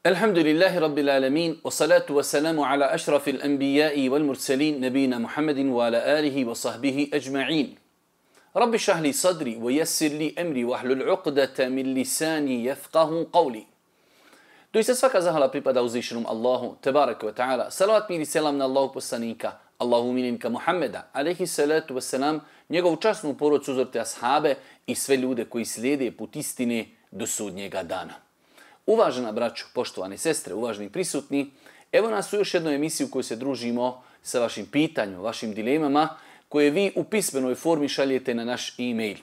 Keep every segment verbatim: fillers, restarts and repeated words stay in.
Alhamdulillahi Rabbil alamin, wa salatu wa salamu ala ašrafil anbiya'i wal mursalin, nabina Muhammedin wa ala alihi wa sahbihi ajma'in. Rabbi šahli sadri wa yassir li emri wa hlul uqdata min lisani yafqahu qawli. Doista svaka zahvala pripada uzvišenom Allahu, tebaraka wa ta'ala. Salavat mir i selam na Allahu poslanika, Allahu mininka Muhammeda, alaihi salatu wa salam, njegovu časnu porodcu, uzorte ashabe i sve ljude koji slijede put istine do sudnjega dana. Uvažena braćo, poštovane sestre, uvaženi prisutni, evo nas u još jednoj emisiji u kojoj se družimo sa vašim pitanjima, vašim dilemama, koje vi u pismenoj formi šaljete na naš e-mail.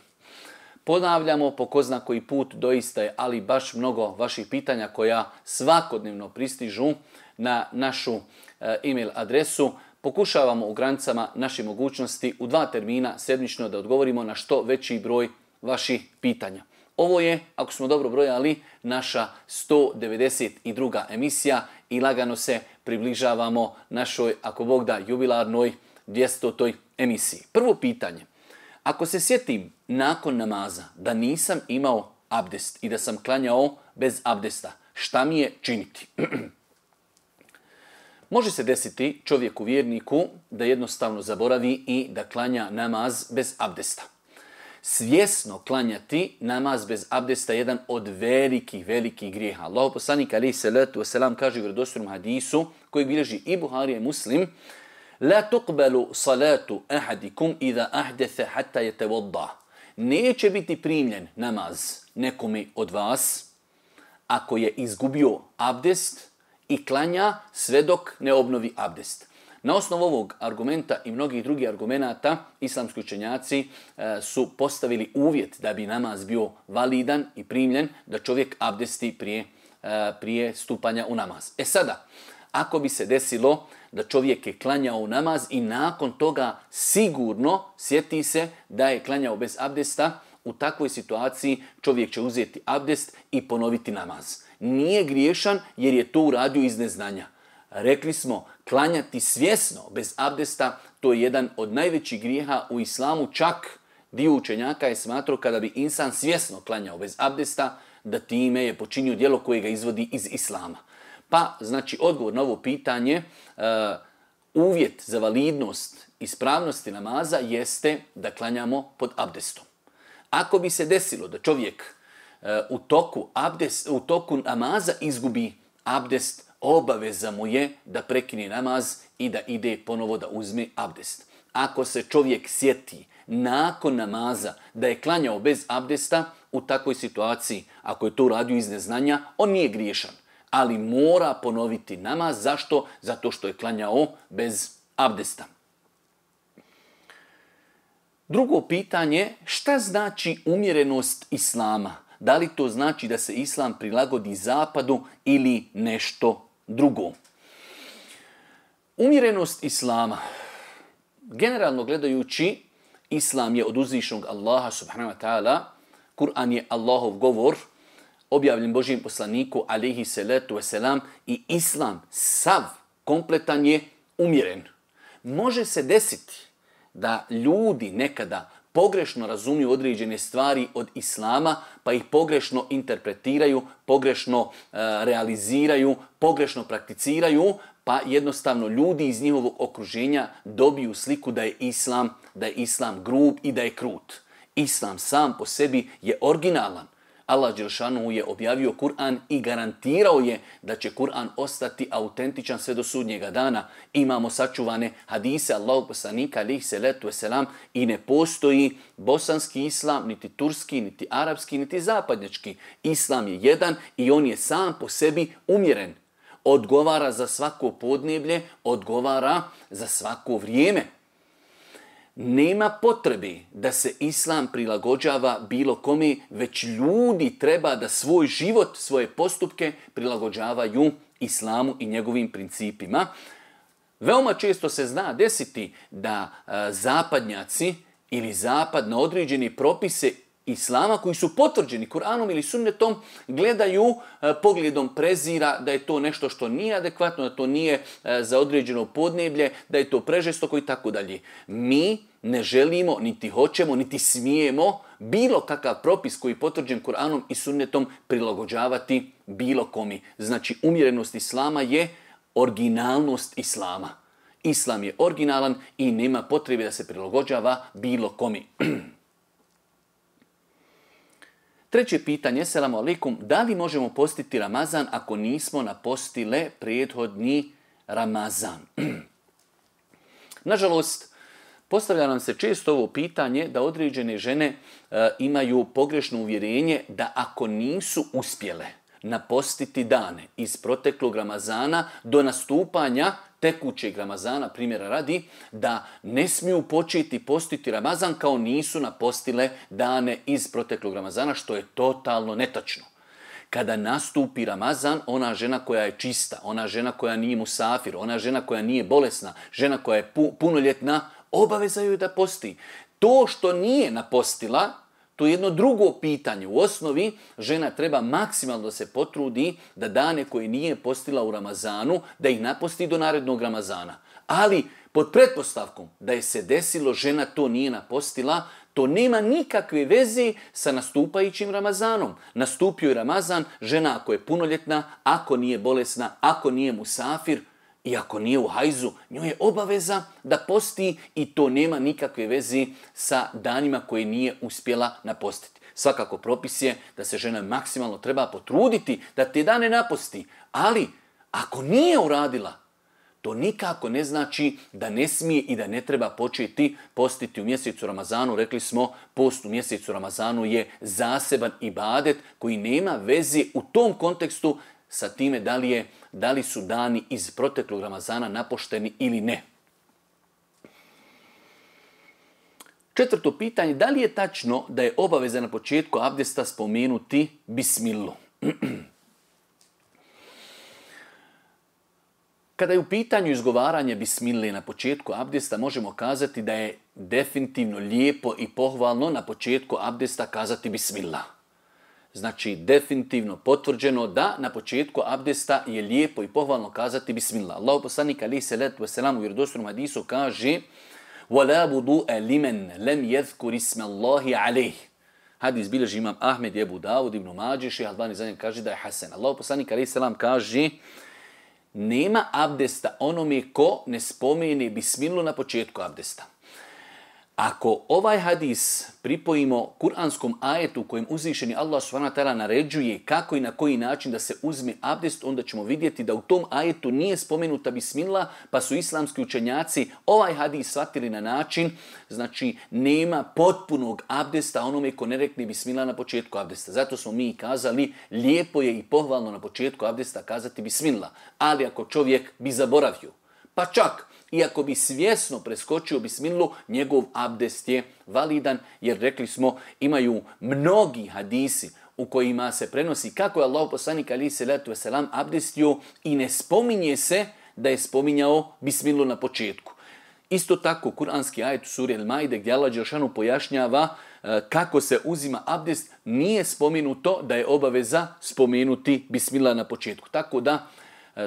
Ponavljamo po ko zna koji put, doista je, ali baš mnogo vaših pitanja koja svakodnevno pristižu na našu e-mail adresu. Pokušavamo u granicama naše mogućnosti u dva termina sedmično da odgovorimo na što veći broj vaših pitanja. Ovo je, ako smo dobro brojali, naša sto devedeset druga emisija i lagano se približavamo našoj, ako Bog da, jubilarnoj dvjesetoj emisiji. Prvo pitanje. Ako se sjetim nakon namaza da nisam imao abdest i da sam klanjao bez abdesta, šta mi je činiti? Može se desiti čovjeku vjerniku da jednostavno zaboravi i da klanja namaz bez abdesta. Svjesno klanjati namaz bez abdesta je jedan od velikih, velikih grijeha. Allahu poslanik alejhi salatu vesselam kaže u vjerodostojnom hadisu kojeg bilježi i Buharija i Muslim: La tuqbalu salatu ahadikum idha ahdatha hatta yatawadda. Neće biti primljen namaz nekome od vas ako je izgubio abdest i klanja sve dok ne obnovi abdest. Na osnovu ovog argumenta i mnogih drugih argumenata islamski učenjaci e, su postavili uvjet da bi namaz bio validan i primljen, da čovjek abdesti prije, e, prije stupanja u namaz. E sada, ako bi se desilo da čovjek je klanjao u namaz i nakon toga sigurno sjeti se da je klanjao bez abdesta, u takvoj situaciji čovjek će uzeti abdest i ponoviti namaz. Nije griješan jer je to uradio iz neznanja. Rekli smo, klanjati svjesno bez abdesta, to je jedan od najvećih grijeha u islamu. Čak dio učenjaka je smatrao kada bi insan svjesno klanjao bez abdesta, da time je počinio djelo koje ga izvodi iz islama. Pa, znači, odgovor na ovo pitanje, uh, uvjet za validnost ispravnosti namaza jeste da klanjamo pod abdestom. Ako bi se desilo da čovjek uh, u toku abdest, u toku namaza izgubi abdest, obaveza mu je da prekine namaz i da ide ponovo da uzme abdest. Ako se čovjek sjeti nakon namaza da je klanjao bez abdesta, u takvoj situaciji, ako je to uradio iz neznanja, on nije griješan. Ali mora ponoviti namaz. Zašto? Zato što je klanjao bez abdesta. Drugo pitanje, šta znači umjerenost islama? Da li to znači da se islam prilagodi zapadu ili nešto drugo? Umjerenost islama. Generalno gledajući, islam je od uzvišenog Allaha subhanahu wa ta'ala. Kur'an je Allahov govor, objavljen Božijem poslaniku alejhi salatu vesselam, i islam sav kompletan je umjeren. Može se desiti da ljudi nekada pogrešno razumiju određene stvari od islama, pa ih pogrešno interpretiraju, pogrešno uh, realiziraju, pogrešno prakticiraju, pa jednostavno ljudi iz njihovog okruženja dobiju sliku da je islam, da je islam grub i da je krut. Islam sam po sebi je originalan. Allah dželešanu je objavio Kur'an i garantirao je da će Kur'an ostati autentičan sve do sudnjega dana. Imamo sačuvane hadise Allahog poslanika alejhi salatu vesselam i ne postoji bosanski islam, niti turski, niti arapski, niti zapadnjački. Islam je jedan i on je sam po sebi umjeren. Odgovara za svako podneblje, odgovara za svako vrijeme. Nema potrebe da se islam prilagođava bilo kome, već ljudi treba da svoj život, svoje postupke prilagođavaju islamu i njegovim principima. Veoma često se zna desiti da a, zapadnjaci ili zapad na određene propise Islama koji su potvrđeni Kur'anom ili sunnetom gledaju e, pogledom prezira da je to nešto što nije adekvatno, da to nije e, za određeno podneblje, da je to prežestoko i tako dalje. Mi ne želimo, niti hoćemo, niti smijemo bilo kakav propis koji je potvrđen Kur'anom i sunnetom prilagođavati bilo komi. Znači, umjerenost Islama je originalnost Islama. Islam je originalan i nema potrebe da se prilagođava bilo komi. Treće pitanje, selamu alaikum, da li možemo postiti Ramazan ako nismo napostile prethodni Ramazan? Nažalost, postavlja nam se često ovo pitanje da određene žene e, imaju pogrešno uvjerenje da ako nisu uspjele napostiti dane iz proteklog Ramazana do nastupanja tekućeg Ramazana, primjera radi, da ne smiju početi postiti Ramazan kao nisu napostile dane iz proteklog Ramazana, što je totalno netačno. Kada nastupi Ramazan, ona žena koja je čista, ona žena koja nije musafir, ona žena koja nije bolesna, žena koja je punoljetna, obaveza joj da posti. To što nije napostila, to je jedno drugo pitanje. U osnovi žena treba maksimalno da se potrudi da dane koje nije postila u Ramazanu, da ih naposti do narednog Ramazana. Ali pod pretpostavkom da je se desilo, žena to nije napostila, to nema nikakve veze sa nastupajućim Ramazanom. Nastupio je Ramazan, žena ako je punoljetna, ako nije bolesna, ako nije musafir, i ako nije u hajzu, njoj je obaveza da posti i to nema nikakve veze sa danima koje nije uspjela napostiti. Svakako propis je da se žena maksimalno treba potruditi da te dane naposti, ali ako nije uradila, to nikako ne znači da ne smije i da ne treba početi postiti u mjesecu Ramazanu. Rekli smo, post u mjesecu Ramazanu je zaseban ibadet koji nema veze u tom kontekstu sa time da li, je, da li su dani iz proteklog Ramazana napošteni ili ne. Četvrto pitanje, da li je tačno da je obaveza na početku abdesta spomenuti bismilu? Kada je u pitanju izgovaranja bismile na početku abdesta, možemo kazati da je definitivno lijepo i pohvalno na početku abdesta kazati bismillah. Znači, definitivno potvrđeno da na početku abdesta je lijepo i pohvalno kazati bismillah. Allahu poslanik alejhi selatu vesselam u vjerodostojnom hadisu kaže: "Wala wudu'a liman lam yadhkur isma Allahi alayh." Hadis bilježi imam Ahmed, Ebu Davud, Ibn Mađe, Šejh Albani za njega kaže da je hasan. Allahu poslanik alejhi selam kaže: "Nema abdesta onome ko ne spomene bismilu na početku abdesta." Ako ovaj hadis pripojimo kuranskom ajetu kojim uzvišeni Allah subhanahu wa ta'ala naređuje kako i na koji način da se uzme abdest, onda ćemo vidjeti da u tom ajetu nije spomenuta bismillah, pa su islamski učenjaci ovaj hadis shvatili na način, znači nema potpunog abdesta onome ko ne rekne bismillah na početku abdesta. Zato smo mi kazali, lijepo je i pohvalno na početku abdesta kazati bismillah, ali ako čovjek bi zaboravio, pa čak iako bi svjesno preskočio bismilu, njegov abdest je validan, jer rekli smo, imaju mnogi hadisi u kojima se prenosi kako je Allahu poslanik alejhi selatu vesselam abdestio i ne spominje se da je spominjao bismilu na početku. Isto tako, kuranski ajet u suri El-Maide gdje Allah dželešanu pojašnjava kako se uzima abdest, nije spomenuto da je obaveza spomenuti bismillah na početku. Tako da,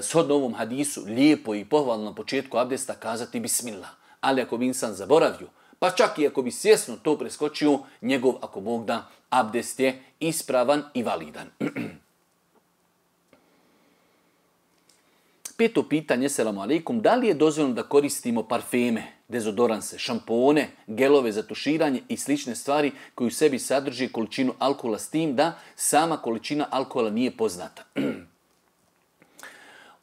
shodno ovom hadisu, lijepo i pohvalno na početku abdesta kazati bismillah. Ali ako bi insan zaboravio, pa čak i ako bi svjesno to preskočio, njegov, ako Bog da, abdest je ispravan i validan. Peto pitanje, selamu alaikum, da li je dozvoljeno da koristimo parfeme, dezodoranse, šampone, gelove za tuširanje i slične stvari koji u sebi sadrži količinu alkohola, s tim da sama količina alkohola nije poznata?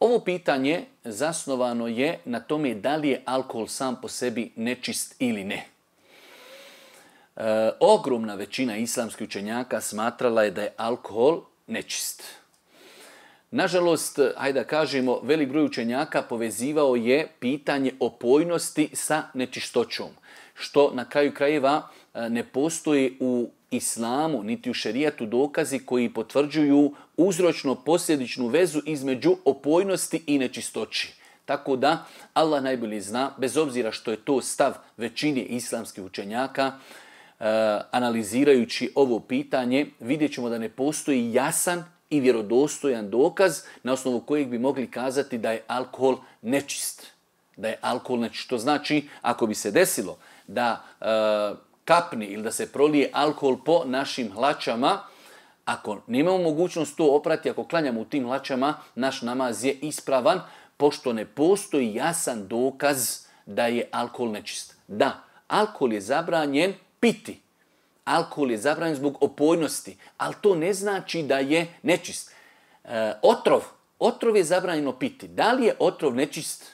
Ovo pitanje zasnovano je na tome da li je alkohol sam po sebi nečist ili ne. E, ogromna većina islamskih učenjaka smatrala je da je alkohol nečist. Nažalost, hajde da kažemo, velik broj učenjaka povezivao je pitanje opojnosti sa nečistoćom, što na kraju krajeva ne postoji u islamu, niti u šerijatu dokazi koji potvrđuju uzročno-posljedičnu vezu između opojnosti i nečistoći. Tako da, Allah najbolje zna, bez obzira što je to stav većine islamskih učenjaka, analizirajući ovo pitanje, vidjet ćemo da ne postoji jasan i vjerodostojan dokaz na osnovu kojeg bi mogli kazati da je alkohol nečist. Da je alkohol nečist. Što znači, ako bi se desilo da e, kapni ili da se prolije alkohol po našim hlačama, ako nemamo mogućnost to oprati, ako klanjamo u tim hlačama, naš namaz je ispravan, pošto ne postoji jasan dokaz da je alkohol nečist. Da, alkohol je zabranjen piti. Alkohol je zabranjen zbog opojnosti, ali to ne znači da je nečist. E, otrov. Otrov je zabranjeno piti. Da li je otrov nečist?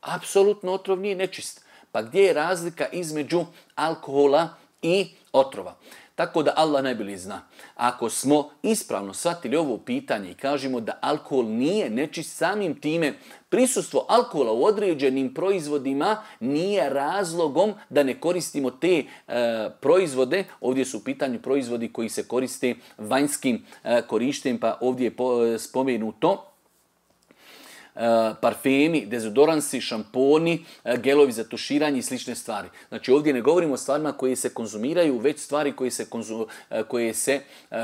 Apsolutno otrov nije nečist. Pa gdje je razlika između alkohola i otrova? Tako da Allah najbolje zna. Ako smo ispravno shvatili ovo pitanje i kažemo da alkohol nije nečist, samim time prisustvo alkohola u određenim proizvodima nije razlogom da ne koristimo te e, proizvode. Ovdje su u pitanju proizvodi koji se koriste vanjskim e, korištenjem, pa ovdje je po, spomenuto parfemi, dezodoransi, šamponi, gelovi za tuširanje i slične stvari. Znači ovdje ne govorimo o stvarima koje se konzumiraju, već stvari koje se, konzum, koje se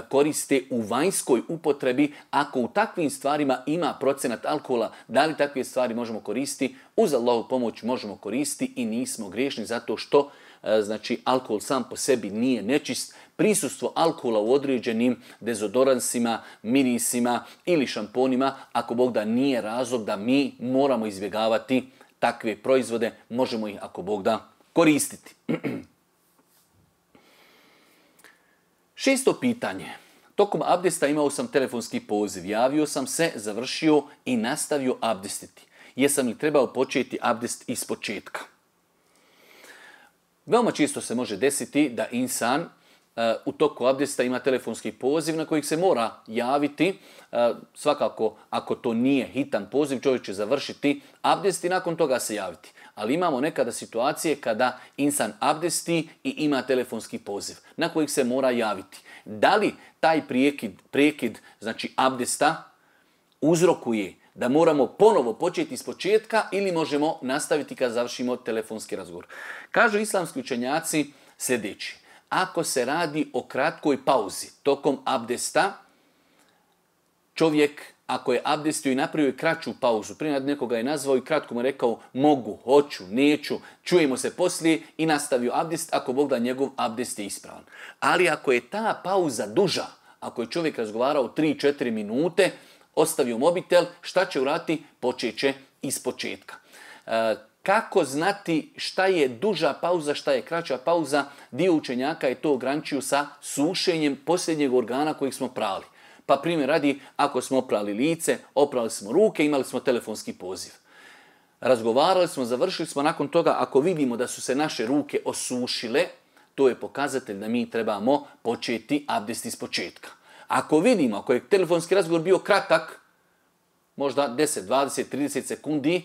koriste u vanjskoj upotrebi. Ako u takvim stvarima ima procenat alkohola, da li takve stvari možemo koristiti? Uz Allahu pomoć možemo koristiti i nismo griješni zato što znači alkohol sam po sebi nije nečist. Prisustvo alkohola u određenim dezodoransima, mirisima ili šamponima, ako Bog da nije razlog da mi moramo izbjegavati takve proizvode, možemo ih ako Bog da koristiti. Šesto pitanje. Tokom abdesta imao sam telefonski poziv. Javio sam se, završio i nastavio abdestiti. Jesam li trebao početi abdest iz početka? Veoma često se može desiti da insan uh, u toku abdesta ima telefonski poziv na kojeg se mora javiti. Uh, svakako, ako to nije hitan poziv, čovjek će završiti abdest i nakon toga se javiti. Ali imamo nekada situacije kada insan abdesti i ima telefonski poziv na kojeg se mora javiti. Da li taj prekid, prekid znači abdesta, uzrokuje da moramo ponovo početi iz početka ili možemo nastaviti kad završimo telefonski razgovor? Kažu islamski učenjaci sljedeći. Ako se radi o kratkoj pauzi tokom abdesta, čovjek ako je abdestio i napravio kraću pauzu, prije nekoga je nazvao i kratko mu je rekao mogu, hoću, neću, čujemo se poslije i nastavio abdest, ako Bog da njegov abdest je ispravan. Ali ako je ta pauza duža, ako je čovjek razgovarao tri četiri minute, ostavio mobitel, šta će uraditi? Počet će iz početka. E, kako znati šta je duža pauza, šta je kraća pauza? Dio učenjaka je to ograničio sa sušenjem posljednjeg organa kojeg smo prali. Pa primjer radi, ako smo oprali lice, oprali smo ruke, imali smo telefonski poziv. Razgovarali smo, završili smo, nakon toga ako vidimo da su se naše ruke osušile, to je pokazatelj da mi trebamo početi abdest iz početka. Ako vidimo, ako je telefonski razgovor bio kratak, možda deset, dvadeset, trideset sekundi,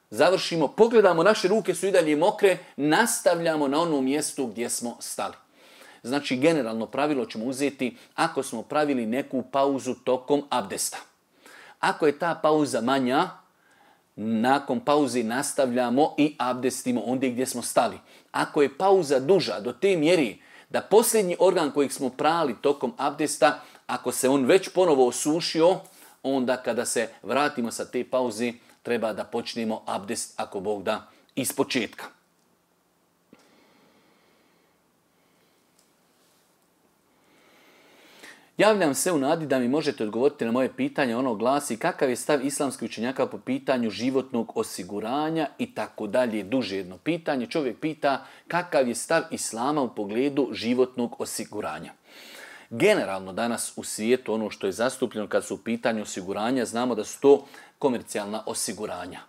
završimo, pogledamo, naše ruke su i dalje mokre, nastavljamo na onom mjestu gdje smo stali. Znači, generalno pravilo ćemo uzeti ako smo pravili neku pauzu tokom abdesta. Ako je ta pauza manja, nakon pauze nastavljamo i abdestimo ondje gdje smo stali. Ako je pauza duža do te mjeri da posljednji organ kojeg smo prali tokom abdesta, ako se on već ponovo osušio, onda kada se vratimo sa te pauze, treba da počnemo abdest, ako Bog da, iz početka. Javljam se u nadi da mi možete odgovoriti na moje pitanje. Ono glasi kakav je stav islamskih učenjaka po pitanju životnog osiguranja i tako dalje. Duže jedno pitanje. Čovjek pita kakav je stav islama u pogledu životnog osiguranja. Generalno danas u svijetu ono što je zastupljeno kad su u pitanju osiguranja, znamo da su to komercijalna osiguranja.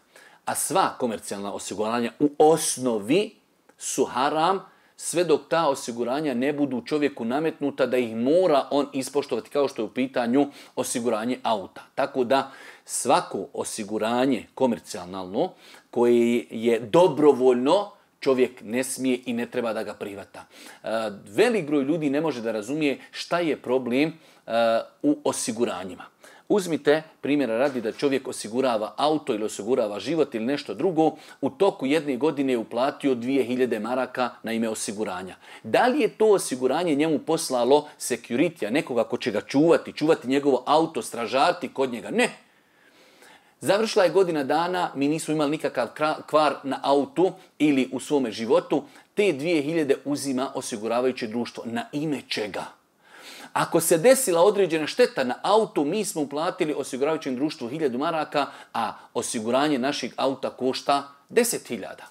A sva komercijalna osiguranja u osnovi su haram, sve dok ta osiguranja ne budu čovjeku nametnuta da ih mora on ispoštovati, kao što je u pitanju osiguranje auta. Tako da svako osiguranje komercijalno koje je dobrovoljno, čovjek ne smije i ne treba da ga prihvata. Velik broj ljudi ne može da razumije šta je problem u osiguranjima. Uzmite primjera radi da čovjek osigurava auto ili osigurava život ili nešto drugo, u toku jedne godine je uplatio dvije hiljade maraka na ime osiguranja. Da li je to osiguranje njemu poslalo security-a, nekoga ko će ga čuvati, čuvati njegovo auto, stražarti kod njega? Ne. Završila je godina dana, mi nismo imali nikakav kvar na autu ili u svome životu, te dvije hiljade uzima osiguravajuće društvo. Na ime čega? Ako se desila određena šteta na autu, mi smo uplatili osiguravajućem društvu hiljadu maraka, a osiguranje našeg auta košta deset hiljada.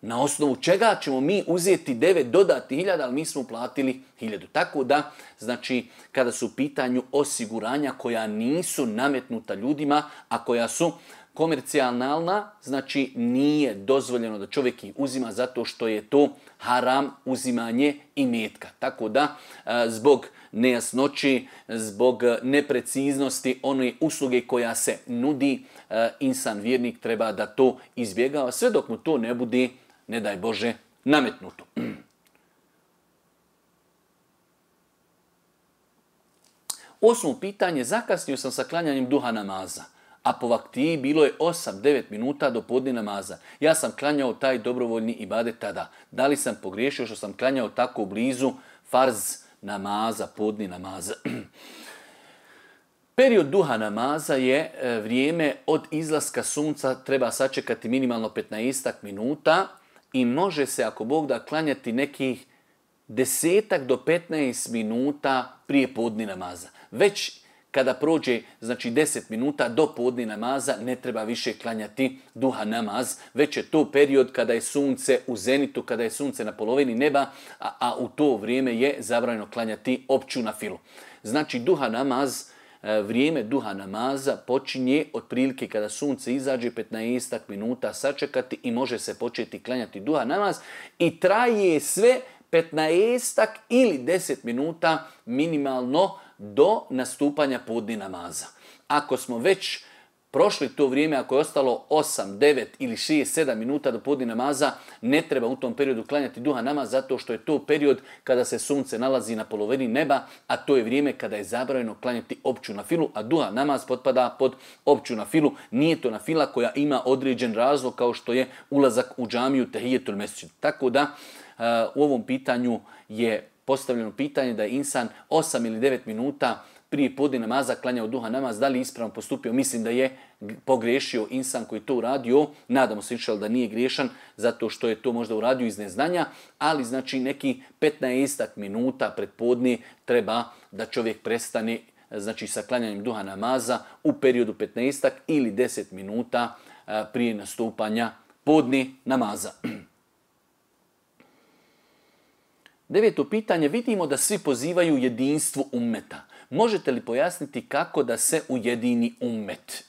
Na osnovu čega ćemo mi uzeti devet dodatnih hiljada, ali mi smo uplatili hiljadu. Tako da, znači, kada su u pitanju osiguranja koja nisu nametnuta ljudima, a koja su komercijalna, znači nije dozvoljeno da čovjek ih uzima zato što je to haram uzimanje imetka. Tako da, zbog nejasnoći, zbog nepreciznosti one usluge koja se nudi, insan vjernik treba da to izbjegava, sve dok mu to ne bude, ne daj Bože, nametnuto. Osmo pitanje, zakasnio sam sa klanjanjem duha namaza, a po vaktiji bilo je osam devet minuta do podne namaza. Ja sam klanjao taj dobrovoljni ibadet tada. Da li sam pogriješio što sam klanjao tako blizu farz namaza, podni namaza? Period duha namaza je vrijeme od izlaska sunca, treba sačekati minimalno petnaest minuta i može se, ako Bog da, klanjati nekih desetak do petnaest minuta prije podni namaza. Već kada prođe, znači deset minuta do podni namaza, ne treba više klanjati duha namaz, već je to period kada je sunce u zenitu, kada je sunce na polovini neba, a, a u to vrijeme je zabranjeno klanjati opću nafilu. Znači duha namaz, vrijeme duha namaza počinje otprilike kada sunce izađe, petnaest minuta sačekati i može se početi klanjati duha namaz i traje sve petnaest ili deset minuta minimalno do nastupanja podni namaza. Ako smo već prošli to vrijeme, ako je ostalo osam, devet ili šest, sedam minuta do podni namaza, ne treba u tom periodu klanjati duha namaz zato što je to period kada se sunce nalazi na polovini neba, a to je vrijeme kada je zabranjeno klanjati opću nafilu, a duha namaz potpada pod opću nafilu. Nije to nafila koja ima određen razlog kao što je ulazak u džamiju tehijetul mesdžid. Tako da u ovom pitanju je postavljeno pitanje da je insan osam ili devet minuta prije podne namaza klanjao duha namaz, da li ispravno postupio? Mislim da je pogrešio insan koji to uradio. Nadamo se inšal da nije griješan zato što je to možda uradio iz neznanja, ali znači neki petnaest minuta pred podne treba da čovjek prestane, znači sa klanjanjem duha namaza u periodu petnaest ili deset minuta prije nastupanja podne namaza. Deveto pitanje, vidimo da svi pozivaju jedinstvu ummeta. Možete li pojasniti kako da se ujedini ummet?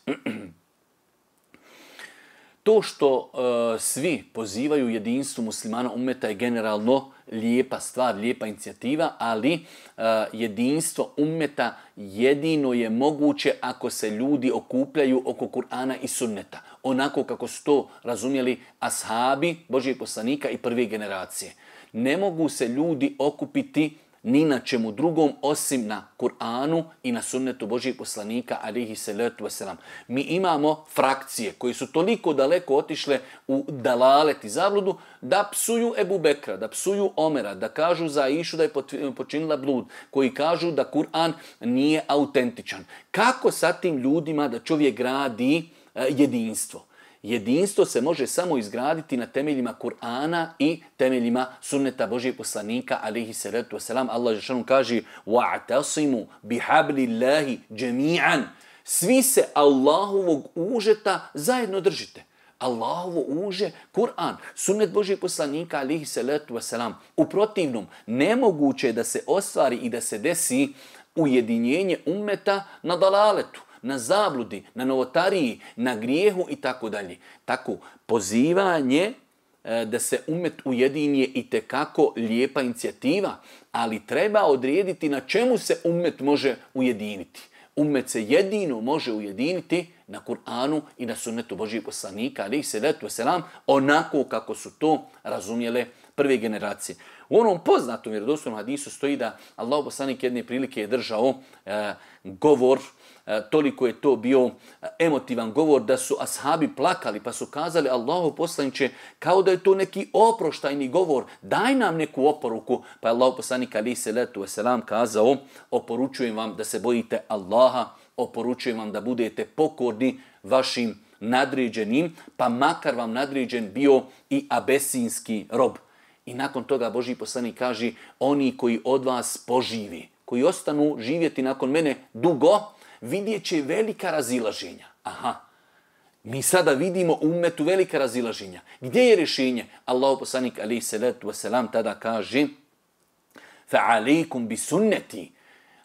To što uh, svi pozivaju jedinstvu muslimana ummeta je generalno lijepa stvar, lijepa inicijativa, ali uh, jedinstvo ummeta jedino je moguće ako se ljudi okupljaju oko Kur'ana i sunneta. Onako kako su to razumjeli ashabi, Božijeg poslanika i prve generacije. Ne mogu se ljudi okupiti ni na čemu drugom osim na Kur'anu i na sunnetu Božijeg poslanika alihi salatu wasalam. Mi imamo frakcije koji su toliko daleko otišle u dalalet i zabludu da psuju Ebu Bekra, da psuju Omera, da kažu za Aishu da je počinila blud, koji kažu da Kur'an nije autentičan. Kako sa tim ljudima da čovjek gradi jedinstvo? Jedinstvo se može samo izgraditi na temeljima Kur'ana i temeljima sunneta Božijeg poslanika alihi salatu wasalam. Allah dželešanu kaže: "Wa'tasimu bihablillahi jami'an." Svi se Allahovog užeta zajedno držite. Allahovo uže, Kur'an, sunnet Božijeg poslanika alihi salatu wasalam. U protivnom, nemoguće je da se ostvari i da se desi ujedinjenje ummeta na dalaletu, na zabludi, na novotariji, na grijehu i tako dalje. Tako, pozivanje e, da se ummet ujedini je itekako lijepa inicijativa, ali treba odrediti na čemu se ummet može ujediniti. Ummet se jedino može ujediniti na Kur'anu i na sunnetu Božijeg poslanika, alihi salatu wasalam, onako kako su to razumjele prve generacije. U onom poznatom vjerodostojnom hadisu stoji da Allah poslanik jedne prilike je držao e, govor toliko je to bio emotivan govor da su ashabi plakali pa su kazali Allahu poslaniče kao da je to neki oproštajni govor, daj nam neku oporuku. Pa je Allahu poslanik alejhi selatu vesselam kazao oporučujem vam da se bojite Allaha, oporučujem vam da budete pokorni vašim nadređenim, pa makar vam nadređen bio i abesinski rob. I nakon toga Božji poslanik kaže oni koji od vas poživi, koji ostanu živjeti nakon mene dugo, vidjet će velika razilaženja. Aha, mi sada vidimo u ummetu velika razilaženja. Gdje je rješenje? Allahu poslanik alejhi selatu vesselam tada kaže fa'alejkum bi sunneti.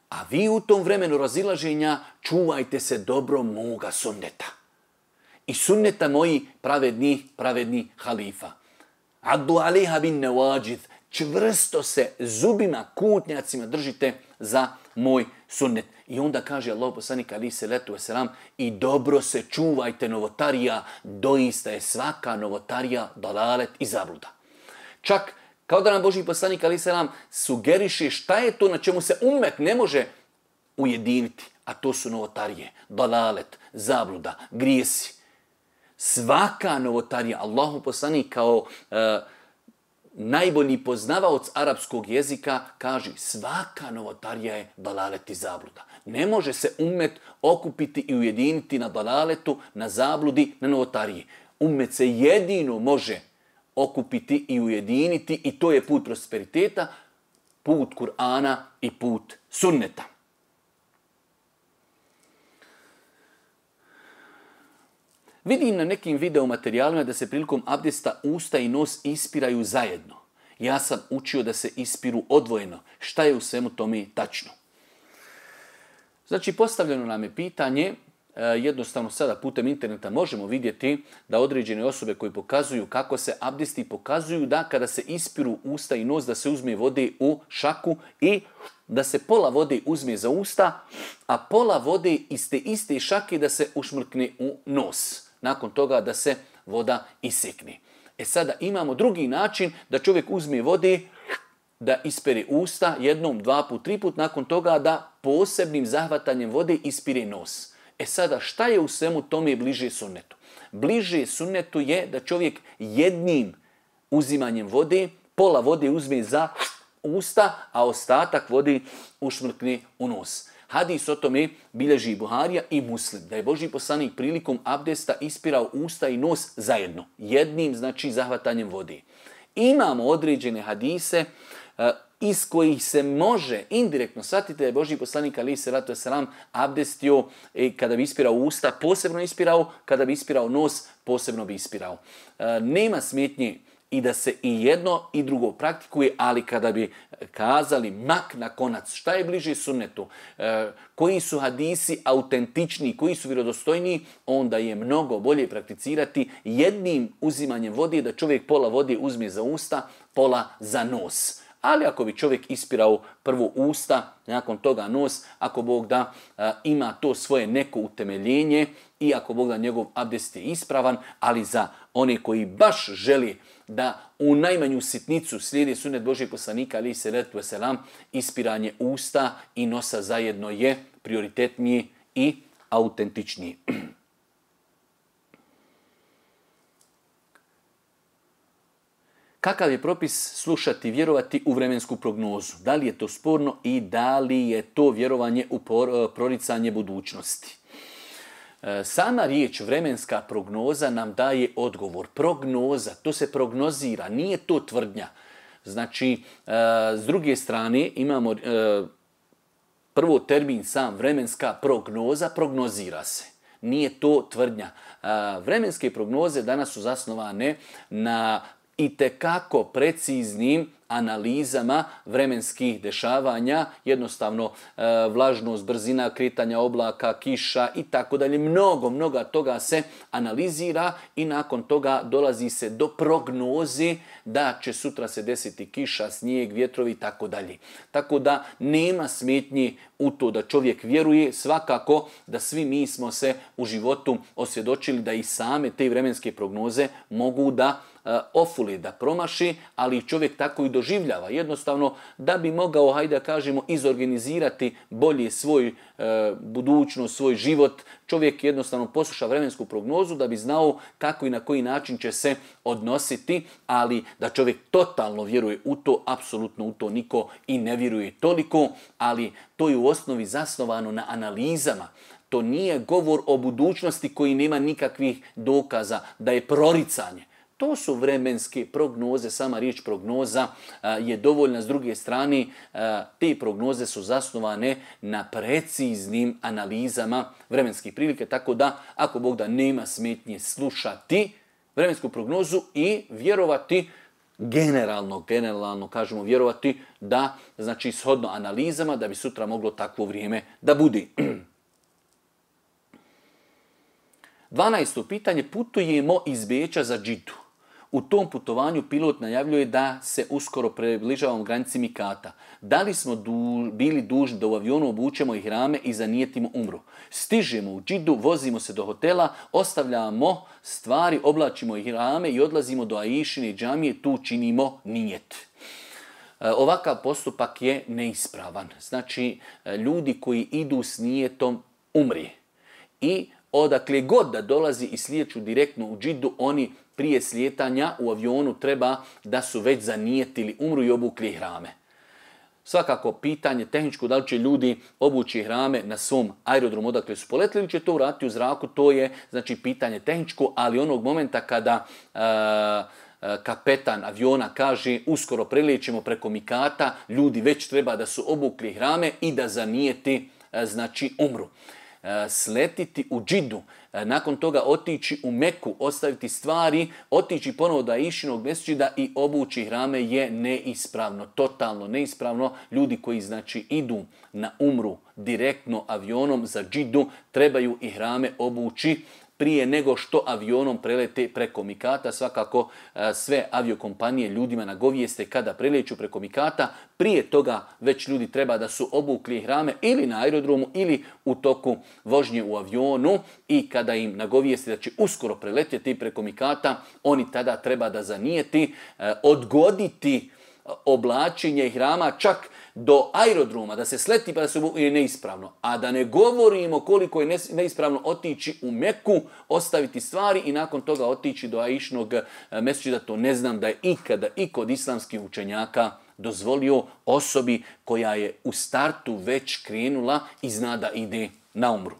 A vi u tom vremenu razilaženja čuvajte se dobro moga sunneta. I sunneta moji pravedni, pravedni halifa. Addu alejha bin nawajid. Čvrsto se zubima, kutnjacima držite za moj sunnet. I onda kaže Allah poslanik alejhi selatu vesselam i dobro se čuvajte novotarija, doista je svaka novotarija dalalet i zabluda. Čak kao da nam Božji poslanik alejhi selam sugeriše šta je to na čemu se ummet ne može ujediniti, a to su novotarije, dalalet, zabluda, grijesi. Svaka novotarija, Allahu poslanik kao uh, najbolji poznavaoc arapskog jezika kaže svaka novotarija je dalalet i zabluda. Ne može se ummet okupiti i ujediniti na dalaletu, na zabludi, na novotariji. Ummet se jedino može okupiti i ujediniti i to je put prosperiteta, put Kur'ana i put sunneta. Vidim na nekim videomaterijalima da se prilikom abdesta usta i nos ispiraju zajedno. Ja sam učio da se ispiru odvojeno. Šta je u svemu tome tačno? Znači, postavljeno nam je pitanje, jednostavno sada putem interneta možemo vidjeti da određene osobe koji pokazuju kako se abdesti pokazuju da kada se ispiru usta i nos da se uzme vode u šaku i da se pola vode uzme za usta, a pola vode iz te iste šake da se ušmrkne u nos. Nakon toga da se voda isekne. E sada imamo drugi način da čovjek uzme vode, da ispere usta jednom, dva put, tri put, nakon toga da posebnim zahvatanjem vode ispire nos. E sada šta je u svemu tome bliže sunnetu? Bliže sunnetu je da čovjek jednim uzimanjem vode, pola vode uzme za usta, a ostatak vode ušmrkne u nos. Hadis o tome bilježi Buharija i Muslim, da je Božji poslanik prilikom abdesta ispirao usta i nos zajedno, jednim znači zahvatanjem vode. Imamo određene hadise uh, iz kojih se može indirektno shvatiti da je Božji poslanik alejhi selatu vesselam abdestio e, kada bi ispirao usta, posebno ispirao, kada bi ispirao nos, posebno bi ispirao. Uh, nema smetnje i da se i jedno i drugo praktikuje, ali kada bi kazali mak na konac, šta je bliže sunnetu, e, koji su hadisi autentični, koji su vjerodostojniji, onda je mnogo bolje prakticirati jednim uzimanjem vode, da čovjek pola vode uzme za usta, pola za nos. Ali ako bi čovjek ispirao prvo usta, nakon toga nos, ako Bog da a, ima to svoje neko utemeljenje i ako Bog da njegov abdest je ispravan, ali za one koji baš želi da u najmanju sitnicu slijedi sunnet Božjeg poslanika alejhi selatu vesselam, ispiranje usta i nosa zajedno je prioritetnije i autentičnije. Kakav je propis slušati, vjerovati u vremensku prognozu? Da li je to sporno i da li je to vjerovanje u proricanje budućnosti? Sama riječ vremenska prognoza nam daje odgovor. Prognoza, to se prognozira, nije to tvrdnja. Znači, s druge strane imamo prvo termin sam vremenska prognoza, prognozira se. Nije to tvrdnja. Vremenske prognoze danas su zasnovane na itekako preciznim analizama vremenskih dešavanja, jednostavno e, vlažnost, brzina kretanja oblaka, kiša i tako dalje. Mnogo, mnogo toga se analizira i nakon toga dolazi se do prognoze da će sutra se desiti kiša, snijeg, vjetrovi i tako dalje. Tako da nema smetnje u to da čovjek vjeruje, svakako da svi mi smo se u životu osvjedočili da i same te vremenske prognoze mogu da ofuli, da promaši, ali čovjek tako i doživljava. Jednostavno, da bi mogao, hajde da kažemo, izorganizirati bolje svoj e, budućnost, svoj život, čovjek jednostavno posluša vremensku prognozu da bi znao kako i na koji način će se odnositi, ali da čovjek totalno vjeruje u to, apsolutno u to niko i ne vjeruje toliko, ali to je u osnovi zasnovano na analizama. To nije govor o budućnosti koji nema nikakvih dokaza, da je proricanje. To su vremenske prognoze, sama riječ prognoza je dovoljna. S druge strane, te prognoze su zasnovane na preciznim analizama vremenskih prilike, tako da ako Bog da nema smetnje slušati vremensku prognozu i vjerovati generalno, generalno kažemo vjerovati da, znači shodno analizama, da bi sutra moglo takvo vrijeme da bude. dvanaesto pitanje, putujemo iz Beča za Džidu. U tom putovanju pilot najavljuje da se uskoro približavamo granici Mikata. Da li smo du, bili dužni da u avionu obučemo ihrame i zanijetimo umru? Stižemo u Džidu, vozimo se do hotela, ostavljamo stvari, oblačimo ihrame i odlazimo do Aishine džamije, tu činimo nijet. Ovakav postupak je neispravan. Znači, ljudi koji idu s nijetom umri i odakle god da dolazi i slijeću direktno u Džidu, oni prije slijetanja u avionu treba da su već zanijetili umru i obukli ihrame. Svakako pitanje tehničko, da li će ljudi obući ihrame na svom aerodromu odakle su poletili ili će to uraditi u zraku, to je znači pitanje tehničko, ali onog momenta kada uh, kapetan aviona kaže uskoro prelećemo preko Mikata, ljudi već treba da su obukli ihrame i da zanijeti uh, znači umru. Sletiti u Džidu, nakon toga otići u Meku, ostaviti stvari, otići ponovo do Aishinog mesdžida i obući ihrame je neispravno, totalno neispravno. Ljudi koji znači idu na umru direktno avionom za Džidu trebaju ihrame obući prije nego što avionom prelete preko Mikata. Svakako sve aviokompanije ljudima nagovijeste kada preleću preko Mikata. Prije toga već ljudi treba da su obukli ihrame ili na aerodromu ili u toku vožnje u avionu i kada im nagovijeste da će uskoro preletjeti preko Mikata, oni tada treba da zanijeti, odgoditi oblačenje ihrama čak do aerodroma, da se sleti pa da se je neispravno. A da ne govorimo koliko je neispravno otići u Meku, ostaviti stvari i nakon toga otići do Aishinog mesdžida. To ne znam da je ikada i kod islamskih učenjaka dozvolio osobi koja je u startu već krenula i zna da ide na umru.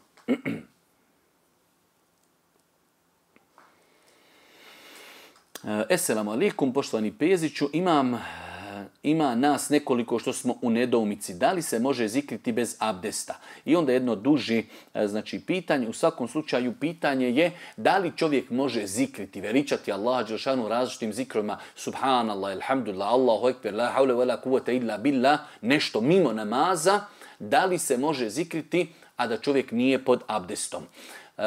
Esselamu alaikum, poštovani Peziću, imam... Ima nas nekoliko što smo u nedoumici. Da li se može zikriti bez abdesta? I onda jedno duži znači, pitanje. U svakom slučaju pitanje je da li čovjek može zikriti, veličati Allaha dželešanu različitim zikrovima. Subhanallah, alhamdulillah, Allahu ekber, la havle wa la kuvvete illa billah, nešto mimo namaza. Da li se može zikriti, a da čovjek nije pod abdestom? Uh,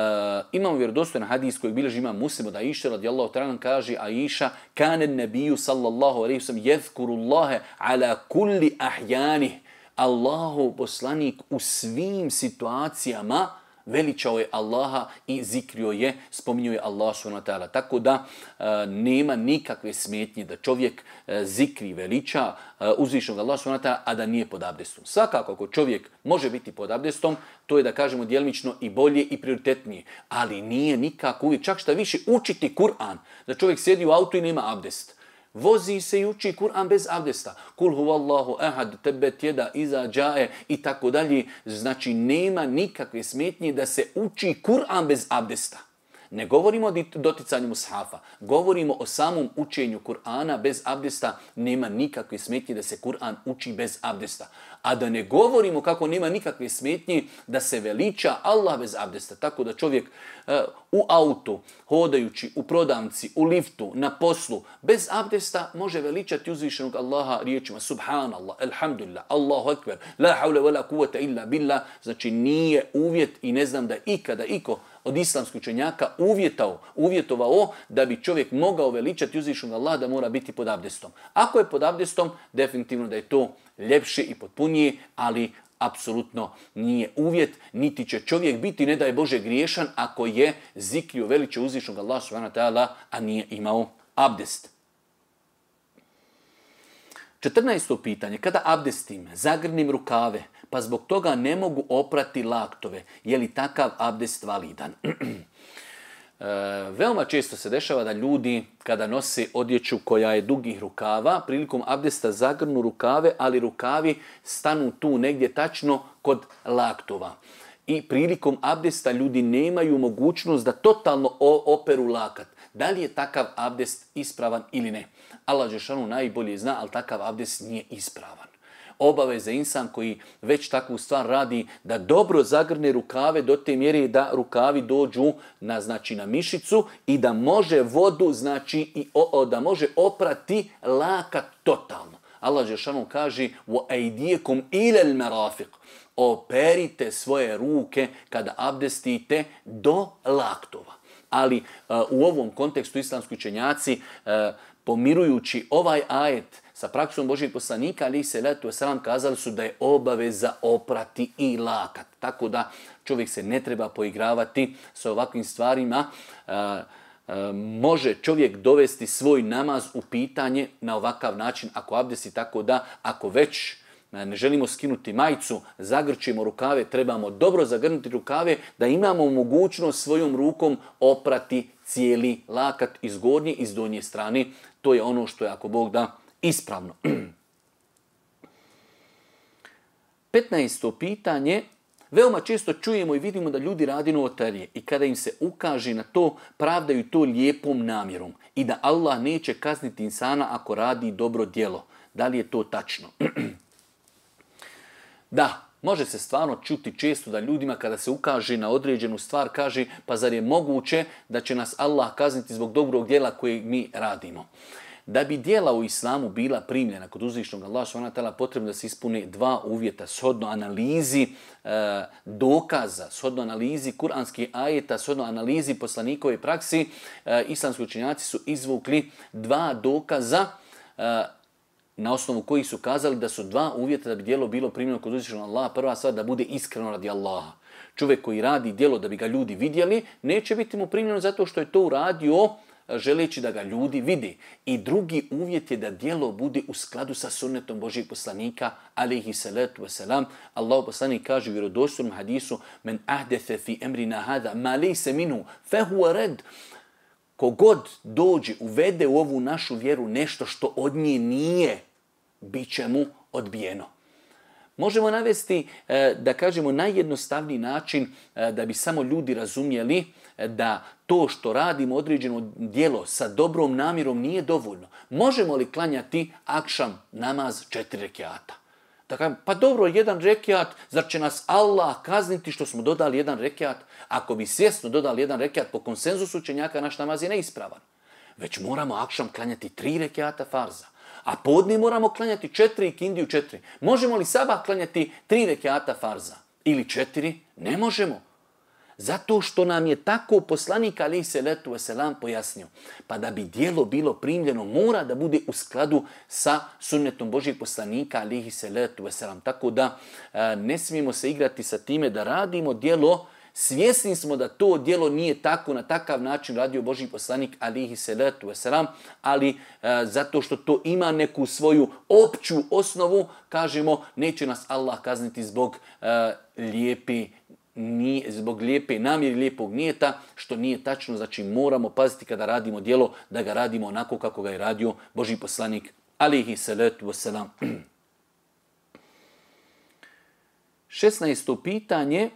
imamo vjerodostojan hadis koji bilježi imam Muslim od Aisha radijallahu ta'ala, kaže Aisha kane nebiju sallallahu alejhi ve sellem yezkurullaha ala kulli ahyanih. Allahu poslanik u svim situacijama veličao je Allaha i zikrio je, spominjao je Allah subhanahu wa ta'ala. Tako da e, nema nikakve smetnje da čovjek e, zikri, veliča e, uzvišenog Allah subhanahu wa ta'ala, a da nije pod abdestom. Svakako ako čovjek može biti pod abdestom, to je da kažemo djelimično i bolje i prioritetnije. Ali nije nikako uvijek, čak šta više učiti Kur'an, da čovjek sjedi u autu i nema abdest. Vozi se i uči Kur'an bez abdesta. Kul huvallahu ahad, tebet jeda, iza džae i tako dalje. Znači nema nikakve smetnje da se uči Kur'an bez abdesta. Ne govorimo o doticanju mushafa, govorimo o samom učenju Kur'ana bez abdesta. Nema nikakve smetnje da se Kur'an uči bez abdesta. A da ne govorimo kako nema nikakve smetnje da se veliča Allah bez abdesta. Tako da čovjek uh, u autu, hodajući, u prodavnici, u liftu, na poslu, bez abdesta može veličati uzvišenog Allaha riječima Subhanallah, Alhamdulillah, Allahu Ekber, la havle wa la kuvvete illa billah. Znači nije uvjet i ne znam da ikada iko od islamskih učenjaka uvjetao, uvjetovao da bi čovjek mogao veličati uzvišenog Allaha da mora biti pod abdestom. Ako je pod abdestom, definitivno da je to ljepše i potpunije, ali apsolutno nije uvjet, niti će čovjek biti, ne da je Bože, griješan ako je zikrio veliče uzvišenog Allaha subhanahu wa ta'ala, a nije imao Abdest. četrnaesto pitanje. Kada abdestim, zagrnim rukave, pa zbog toga ne mogu oprati laktove, je li takav abdest validan? E, veoma često se dešava da ljudi kada nose odjeću koja je dugih rukava, prilikom abdesta zagrnu rukave, ali rukavi stanu tu negdje tačno kod laktova. I prilikom abdesta ljudi nemaju mogućnost da totalno operu lakat. Da li je takav abdest ispravan ili ne? Allah dželešanu najbolje zna, ali takav abdest nije ispravan. Obaveza insan koji već takvu stvar radi da dobro zagrne rukave do te mjere da rukavi dođu na, znači, na mišicu i da može vodu, znači i o, o, da može oprati lakat totalno. Allah dželešanu kaže: "Wa aydiyakum ila al-marafiq." Operite svoje ruke kada abdestite do laktova. Ali uh, u ovom kontekstu islamski učenjaci uh, pomirujući ovaj ajet sa praksom Božijeg poslanika alejhi selatu vesselam kazali su da je obaveza oprati i lakat. Tako da čovjek se ne treba poigravati sa ovakvim stvarima. Uh, uh, može čovjek dovesti svoj namaz u pitanje na ovakav način ako abdesti, tako da ako već ne želimo skinuti majicu, zagrčimo rukave, trebamo dobro zagrnuti rukave da imamo mogućnost svojom rukom oprati cijeli lakat iz gornje i iz donje strane. To je ono što je, ako Bog da, ispravno. petnaesto pitanje. Veoma često čujemo i vidimo da ljudi radi novotarije i kada im se ukaže na to, pravdaju to lijepom namjerom i da Allah neće kazniti insana ako radi dobro djelo. Da li je to tačno? Da, može se stvarno čuti često da ljudima kada se ukaže na određenu stvar kaže: pa zar je moguće da će nas Allah kazniti zbog dobrog djela koje mi radimo? Da bi djela u islamu bila primljena kod uzvišnog Allaha subhanahu wa ta'ala, potrebno da se ispune dva uvjeta, shodno analizi e, dokaza, shodno analizi kuranskih ajeta, shodno analizi poslanikove praksi. E, islamski učenjaci su izvukli dva dokaza e, na osnovu kojih su kazali da su dva uvjeta da bi djelo bilo primljeno kod uzvišnog Allaha. Prva stvar, da bude iskreno radi Allaha. Čovjek koji radi djelo da bi ga ljudi vidjeli, neće biti mu primljeno zato što je to uradio želeći da ga ljudi vidi. I drugi uvjet je da djelo bude u skladu sa sunnetom Božijeg poslanika alejhi salatu vesselam. Allahov poslanik kaže u vjerodostojnom hadisu: "Men ahdatha fi amrina hada ma laysa minhu fa huwa rad." Kogod dođe, uvede u ovu našu vjeru nešto što od nje nije, bit će mu odbijeno. Možemo navesti, da kažemo, najjednostavniji način da bi samo ljudi razumjeli da to što radimo određeno djelo sa dobrom namjerom nije dovoljno. Možemo li klanjati akšam namaz četiri rekiata? Da kažem, pa dobro, jedan rekiat, zar će nas Allah kazniti što smo dodali jedan rekiat? Ako bi svjesno dodali jedan rekiat, po konsenzusu učenjaka naš namaz je neispravan. Već moramo akšam klanjati tri rekiata farza. A podne moramo klanjati četiri i kindiju četiri. Možemo li sabah klanjati tri rekiata farza? Ili četiri? Ne možemo. Zato što nam je tako poslanik alejhi selatu vesselam pojasnio. Pa da bi djelo bilo primljeno, mora da bude u skladu sa sunnetom Božijeg poslanika alejhi selatu vesselam. Tako da e, ne smijemo se igrati sa time da radimo djelo. Svjesni smo da to djelo nije tako, na takav način radio Božji poslanik alejhi selatu vesselam, ali e, zato što to ima neku svoju opću osnovu, kažemo, neće nas Allah kazniti zbog e, lijepi Nije, zbog lijepe namjere, lijepog nijeta, što nije tačno. Znači moramo paziti kada radimo djelo da ga radimo onako kako ga je radio Božji poslanik alejhi salatu vesselam. šesnaesto pitanje.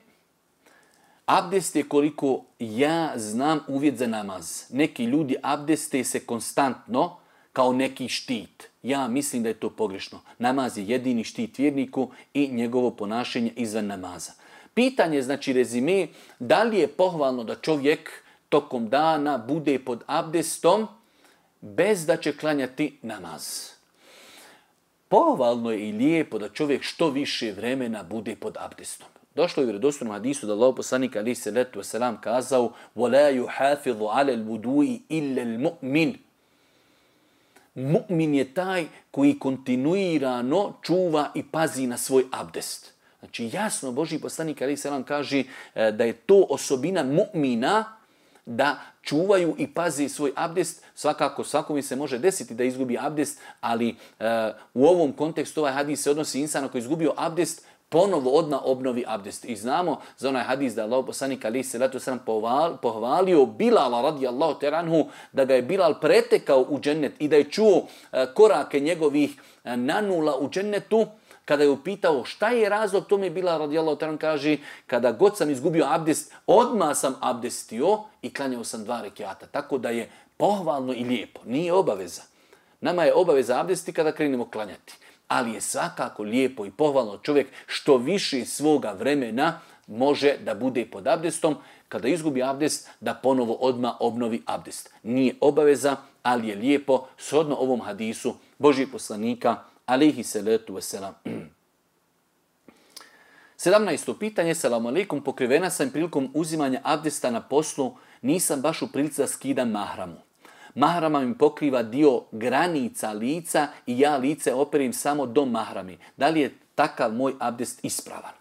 Abdest je, koliko ja znam, uvjet za namaz. Neki ljudi abdeste se konstantno kao neki štit. Ja mislim da je to pogrešno. Namaz je jedini štit vjerniku i njegovo ponašanje izvan namaza. Pitanje, znači rezime, da li je pohvalno da čovjek tokom dana bude pod abdestom bez da će klanjati namaz? Pohvalno je i lijepo da čovjek što više vremena bude pod abdestom. Došlo je u vjerodostojnom hadisu da Allahov poslanik alejhi selatu vesselam kazao: "Wala yuhafizu 'ala al-wudu'i illa al-mu'min." Mu'min je taj koji kontinuirano čuva i pazi na svoj abdest. Znači jasno Božji poslanik alejhi selam kaže da je to osobina mu'mina, da čuvaju i pazi svoj abdest. Svakako, svakome se može desiti da izgubi abdest, ali uh, u ovom kontekstu ovaj hadis se odnosi insana koji je izgubio abdest, ponovo odmah obnovi abdest. I znamo za onaj hadis da je Allah poslanik alejhi selatu selam pohvalio Bilala radijallahu ta'ala anhu, da ga je Bilal pretekao u džennet i da je čuo uh, korake njegovih uh, nanula u džennetu. Kada je upitao šta je razlog tome, Bilal radijallahu ta'ala kaže, kada god sam izgubio abdest, odmah sam abdestio i klanjao sam dva rekiata. Tako da je pohvalno i lijepo, nije obaveza. Nama je obaveza abdesti kada krenemo klanjati. Ali je svakako lijepo i pohvalno čovjek što više svoga vremena može da bude pod abdestom, kada izgubi abdest da ponovo odmah obnovi abdest. Nije obaveza, ali je lijepo shodno ovom hadisu Božijeg poslanika alejhi salatu vesselam. sedamnaesto pitanje. Selamu alejkum, pokrivena sam prilikom uzimanja abdesta na poslu, nisam baš u prilici da skidam mahramu. Mahrama mi pokriva dio granica lica i ja lice operim samo do mahrami. Da li je takav moj abdest ispravan?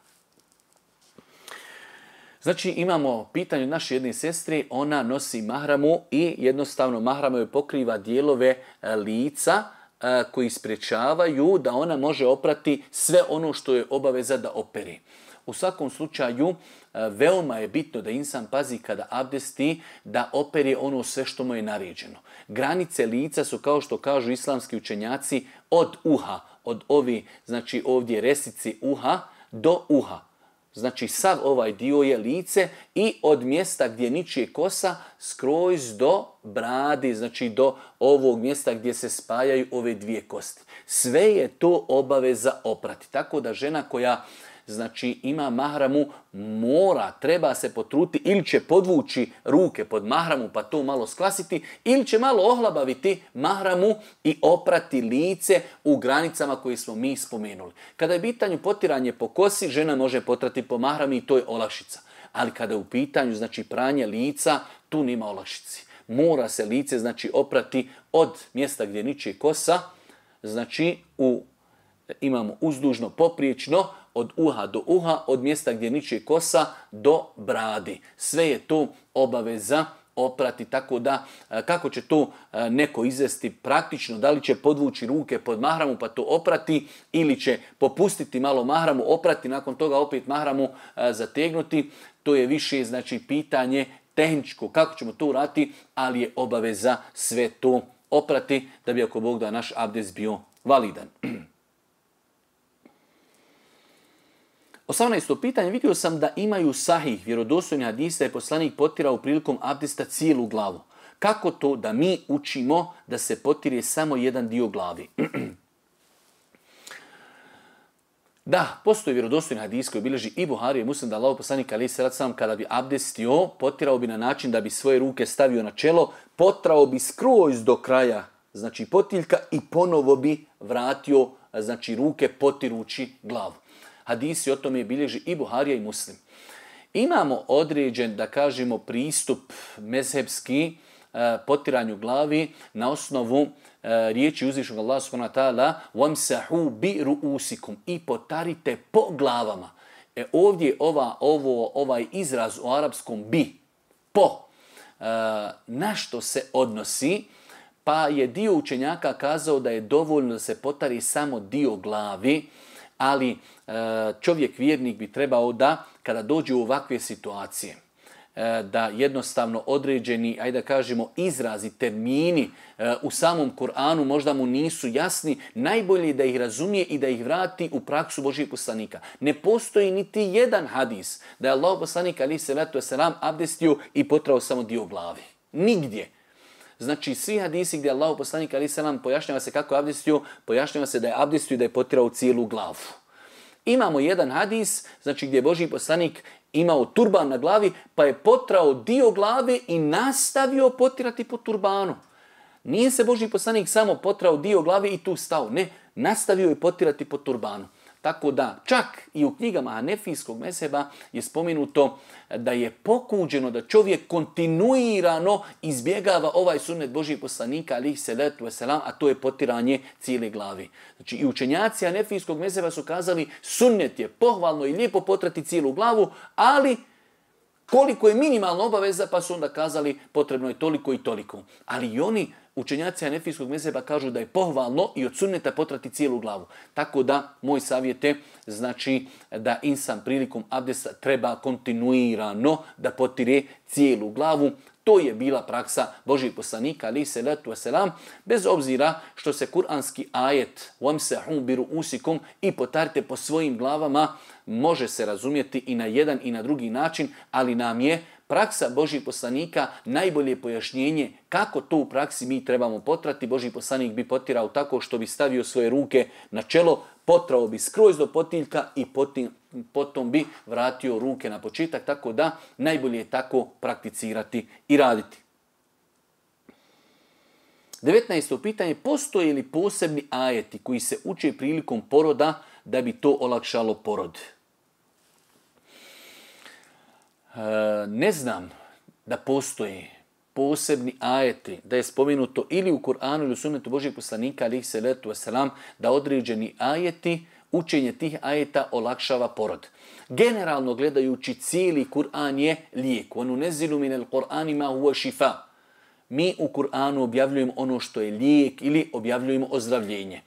Znači imamo pitanje od naše jedne sestre, ona nosi mahramu i jednostavno mahrama joj pokriva dijelove lica koji sprečavaju da ona može oprati sve ono što je obaveza da operi. U svakom slučaju, veoma je bitno da insan pazi kada abdesti da operi ono sve što mu je naređeno. Granice lica su, kao što kažu islamski učenjaci, od uha, od ovi, znači ovdje resici uha do uha. Znači sav ovaj dio je lice i od mjesta gdje ničije kosa skroz do bradi, znači do ovog mjesta gdje se spajaju ove dvije kosti. Sve je to obaveza oprati. Tako da žena koja znači ima mahramu mora, treba se potruti ili će podvući ruke pod mahramu pa to malo sklasiti ili će malo ohlabaviti mahramu i oprati lice u granicama koje smo mi spomenuli. Kada je u pitanju potiranje po kosi, žena može potrati po mahrami i to je olakšica. Ali kada je u pitanju znači pranje lica, tu nema olakšici. Mora se lice znači oprati od mjesta gdje niče kosa, znači u, imamo uzdužno popriječno, od uha do uha, od mjesta gdje niče kosa do bradi. Sve je to obaveza oprati, tako da kako će to neko izvesti praktično, da li će podvući ruke pod mahramu pa to oprati ili će popustiti malo mahramu, oprati, nakon toga opet mahramu zategnuti, to je više znači pitanje tehničko, kako ćemo to uraditi, ali je obaveza sve to oprati da bi ako Bog da naš abdest bio validan. osamnaesto pitanje. Vidio sam da imaju sahih vjerodostojni hadis da je poslanik potirao prilikom abdesta cijelu glavu. Kako to da mi učimo da se potire samo jedan dio glavi? Da, postoji vjerodostojni hadis koji bilježi i Buhari i Muslim da Allahov poslanik alejhi selatu selam kada bi abdestio, potirao bi na način da bi svoje ruke stavio na čelo, potrao bi skroz do kraja, znači potiljka, i ponovo bi vratio znači ruke potirući glavu. Hadisi o tome bilježi i Buharija i Muslim. Imamo određen, da kažemo, pristup mezhebski e, potiranju glavi na osnovu e, riječi uzvišnog Allaha subhanahu wa ta'ala وَمْسَحُوا بِرُؤُسِكُمْ i potarite po glavama. E, ovdje ova, ovo, ovaj izraz u arapskom bi, po, e, na što se odnosi, pa je dio učenjaka kazao da je dovoljno da se potari samo dio glavi, ali čovjek vjernik bi trebao da, kada dođe u ovakve situacije, da jednostavno određeni, ajde da kažemo, izrazi, termini u samom Kur'anu možda mu nisu jasni, najbolje da ih razumije i da ih vrati u praksu Božijeg poslanika. Ne postoji niti jedan hadis da je Allahov poslanik alejhi selatu vesselam abdestio i potrao samo dio glavi. Nigdje. Znači, svi hadisi gdje Allahov poslanik alejhi selam pojašnjava se kako je abdestio, pojašnjava se da je abdestio i da je potirao cijelu glavu. Imamo jedan hadis, znači gdje je Božji poslanik imao turban na glavi, pa je potrao dio glave i nastavio potirati po turbanu. Nije se Božji poslanik samo potrao dio glave i tu stao. Ne, nastavio je potirati po turbanu. Tako da, čak i u knjigama hanefijskog mezheba je spomenuto da je pokuđeno da čovjek kontinuirano izbjegava ovaj sunnet Božjih poslanika, alejhi selatu vesselam, a to je potiranje cijele glavi. Znači, i učenjaci hanefijskog mezheba su kazali sunnet je pohvalno i lijepo potrati cijelu glavu, ali koliko je minimalna obaveza, pa su onda kazali potrebno je toliko i toliko. Ali i oni, učenjaci hanefijskog mezheba, kažu da je pohvalno i od sunneta potrati cijelu glavu. Tako da, moj savjet je, znači da insan prilikom abdesta treba kontinuirano da potire cijelu glavu. To je bila praksa Božih poslanika, ali se letu selam, bez obzira što se kuranski ajet وَمْسَحُوا بِرُؤُسِكُمْ i potarite po svojim glavama, može se razumjeti i na jedan i na drugi način, ali nam je praksa Božih poslanika najbolje pojašnjenje kako to u praksi mi trebamo potrati. Božji poslanik bi potirao tako što bi stavio svoje ruke na čelo, potrao bi skroz do potiljka i potim, potom bi vratio ruke na početak, tako da najbolje je tako prakticirati i raditi. devetnaesto pitanje, postoje li posebni ajeti koji se uče prilikom poroda da bi to olakšalo porod? E, ne znam da postoje posebni ajeti, da je spomenuto ili u Kur'anu ili u sunnetu Božih poslanika, alejhi selatu vesselam, da određeni ajeti, učenje tih ajeta olakšava porod. Generalno gledajući, cijeli Kur'an je lijek. وَنُنَزِّلُ مِنَ الْقُرْآنِ مَا هُوَ شِفَاء. Mi u Kur'anu objavljujemo ono što je lijek ili objavljujemo ozdravljenje.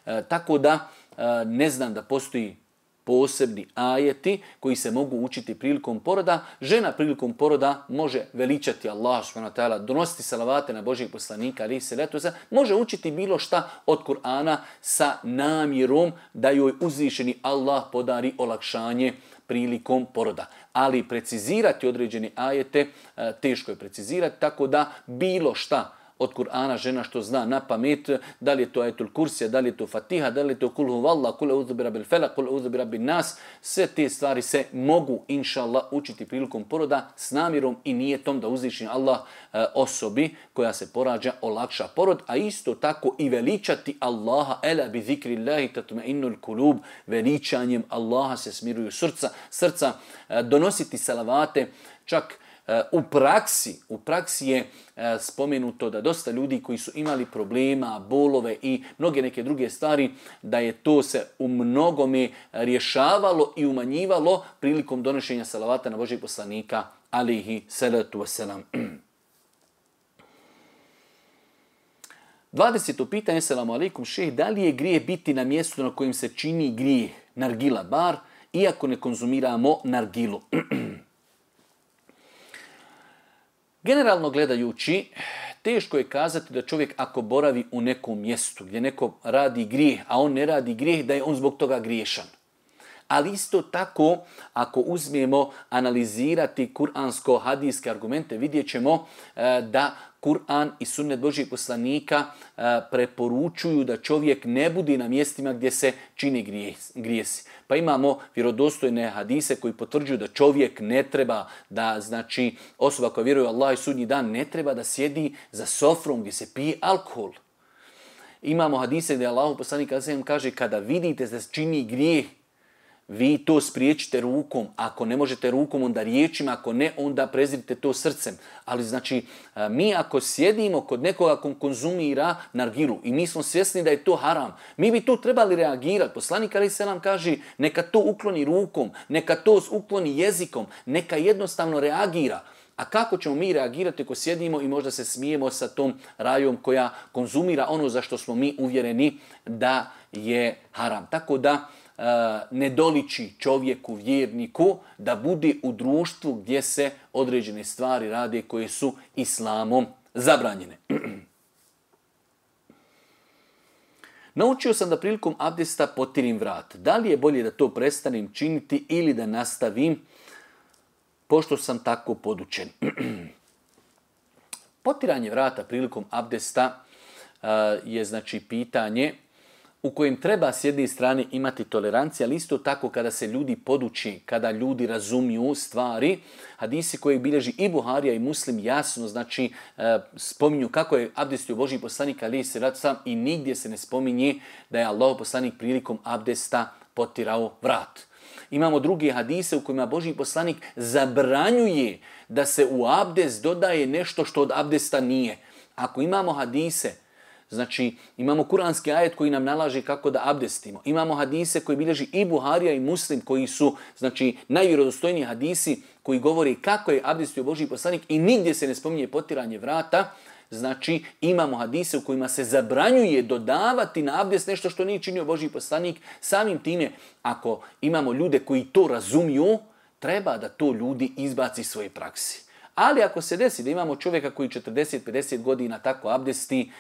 E, tako da e, ne znam da postoji posebni ajeti koji se mogu učiti prilikom poroda. Žena prilikom poroda može veličati Allah subhanahu wa ta'ala, donositi salavate na Božijeg poslanika, alejhi selatu vesselam, može učiti bilo šta od Kur'ana sa namjerom da joj uzvišeni Allah podari olakšanje prilikom poroda. Ali precizirati određene ajete teško je precizirati, tako da bilo šta od Kur'ana žena što zna na pamet, da li je to ajetul kursija, da li je to fatiha, da li je to kul huvallah, kul eudhu bi rabbil felak, kul eudhu bi rabbin nas, sve te stvari se mogu, inša Allah, učiti prilikom poroda s namjerom i nijetom da uzvišeni Allah e, osobi koja se porađa olakša porod, a isto tako i veličati Allaha, ela bi zikrillahi tatma'innul kulub, veličanjem Allaha se smiruju srca, srca e, donositi salavate, čak U praksi, u praksi je spomenuto da dosta ljudi koji su imali problema, bolove i mnoge neke druge stvari, da je to se u mnogome rješavalo i umanjivalo prilikom donošenja salavata na Božijeg poslanika, alejhi selatu vesselam. dvadeseto pitanje, selamu alejkum šejh, da li je grijeh biti na mjestu na kojem se čini grijeh, nargila bar, iako ne konzumiramo nargilu? Generalno gledajući, teško je kazati da čovjek ako boravi u nekom mjestu gdje neko radi grijeh, a on ne radi grijeh, da je on zbog toga griješan. Ali isto tako, ako uzmemo analizirati kuransko-hadijske argumente, vidjet ćemo da Kur'an i sunnet Božijeg poslanika preporučuju da čovjek ne bude na mjestima gdje se čini grijesi. Pa imamo vjerodostojne hadise koji potvrđuju da čovjek ne treba, da znači osoba koja vjeruje u Allah i sudnji dan ne treba da sjedi za sofrom gdje se pije alkohol. Imamo hadise gdje Allah poslanik kaže kada vidite da se čini grijeh, vi to spriječite rukom. Ako ne možete rukom, onda riječima. Ako ne, onda prezirite to srcem. Ali znači, mi ako sjedimo kod nekoga ko konzumira nargilu i mi smo svjesni da je to haram, mi bi tu trebali reagirati. Poslanik alejhi selam kaže, neka to ukloni rukom, neka to ukloni jezikom, neka jednostavno reagira. A kako ćemo mi reagirati ako sjedimo i možda se smijemo sa tom rajom koja konzumira ono za što smo mi uvjereni da je haram. Tako da ne doliči čovjeku, vjerniku, da bude u društvu gdje se određene stvari rade koje su islamom zabranjene. Naučio sam da prilikom abdesta potirim vrat. Da li je bolje da to prestanem činiti ili da nastavim, pošto sam tako podučen? Potiranje vrata prilikom abdesta uh, je znači pitanje u kojem treba s jedne strane imati tolerancija, ali isto tako kada se ljudi poduči, kada ljudi razumiju stvari, hadisi koje bilježi i Buharija i Muslim jasno, znači e, spominju kako je abdestio Božji poslanik alejhi selatu vesselam i nigdje se ne spominje da je Allahov poslanik prilikom abdesta potirao vrat. Imamo druge hadise u kojima Božji poslanik zabranjuje da se u abdest dodaje nešto što od abdesta nije. Ako imamo hadise, Znači, imamo kuranski ajet koji nam nalaže kako da abdestimo. Imamo hadise koji bilježi i Buharija i Muslim, koji su, znači, najvjerodostojniji hadisi koji govori kako je abdestio Božji poslanik i nigdje se ne spominje potiranje vrata. Znači, imamo hadise u kojima se zabranjuje dodavati na abdest nešto što nije činio Božji poslanik. Samim time, ako imamo ljude koji to razumiju, treba da to ljudi izbaci iz svoje praksi. Ali ako se desi da imamo čovjeka koji četrdeset pedeset godina tako abdesti,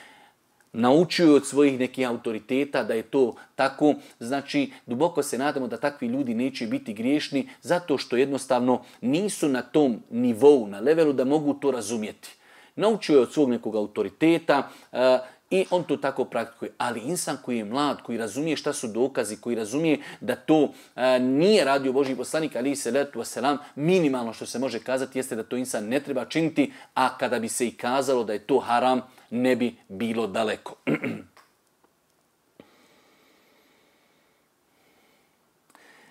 naučio od svojih nekih autoriteta da je to tako, znači duboko se nadamo da takvi ljudi neće biti griješni zato što jednostavno nisu na tom nivou, na levelu da mogu to razumjeti. Naučio je od svog nekog autoriteta uh, i on to tako praktikuje. Ali insan koji je mlad, koji razumije šta su dokazi, koji razumije da to uh, nije radio Božji poslanik, ali se letu wasalam, minimalno što se može kazati jeste da to insan ne treba činiti, a kada bi se i kazalo da je to haram, ne bi bilo daleko.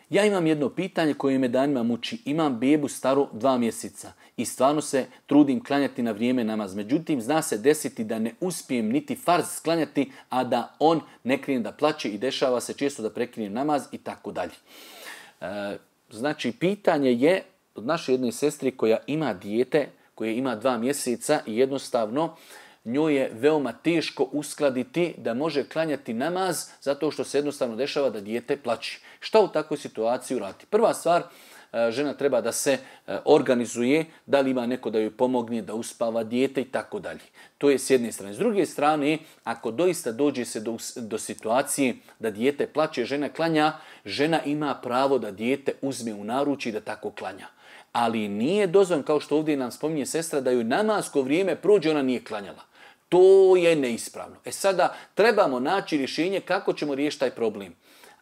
Ja imam jedno pitanje koje me danima muči. Imam bebu staru dva mjeseca i stvarno se trudim klanjati na vrijeme namaz. Međutim, zna se desiti da ne uspijem niti farz sklanjati, a da on ne krene da plače i dešava se često da prekinem namaz i tako dalje. Znači, pitanje je od naše jedne sestri koja ima dijete, koje ima dva mjeseca i jednostavno njoj je veoma teško uskladiti da može klanjati namaz zato što se jednostavno dešava da dijete plači. Šta u takvoj situaciji uraditi? Prva stvar, žena treba da se organizuje, da li ima neko da joj pomogne, da uspava dijete i tako dalje. To je s jedne strane. S druge strane, ako doista dođe se do, do situacije da dijete plače, žena klanja, žena ima pravo da dijete uzme u naručje i da tako klanja. Ali nije dozvoljeno, kao što ovdje nam spominje sestra, da joj namasko vrijeme prođe, ona nije klanjala. To je neispravno. E sada trebamo naći rješenje kako ćemo riješiti taj problem.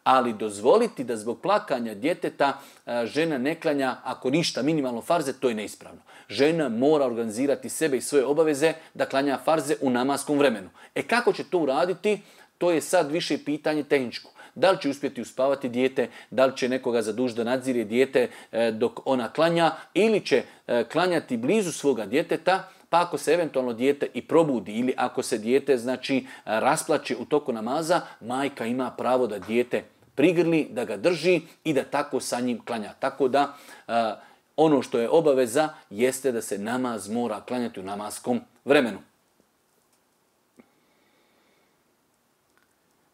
Ali dozvoliti da zbog plakanja djeteta žena ne klanja, ako ništa, minimalno farze, to je neispravno. Žena mora organizirati sebe i svoje obaveze da klanja farze u namaskom vremenu. E kako će to uraditi, to je sad više pitanje tehničko. Da li će uspjeti uspavati dijete, da li će nekoga zadužiti da nadzire dijete dok ona klanja, ili će klanjati blizu svoga djeteta, pa ako se eventualno dijete i probudi ili ako se dijete znači rasplače u toku namaza, majka ima pravo da dijete prigrli, da ga drži i da tako sa njim klanja. Tako da ono što je obaveza jeste da se namaz mora klanjati u namaskom vremenu.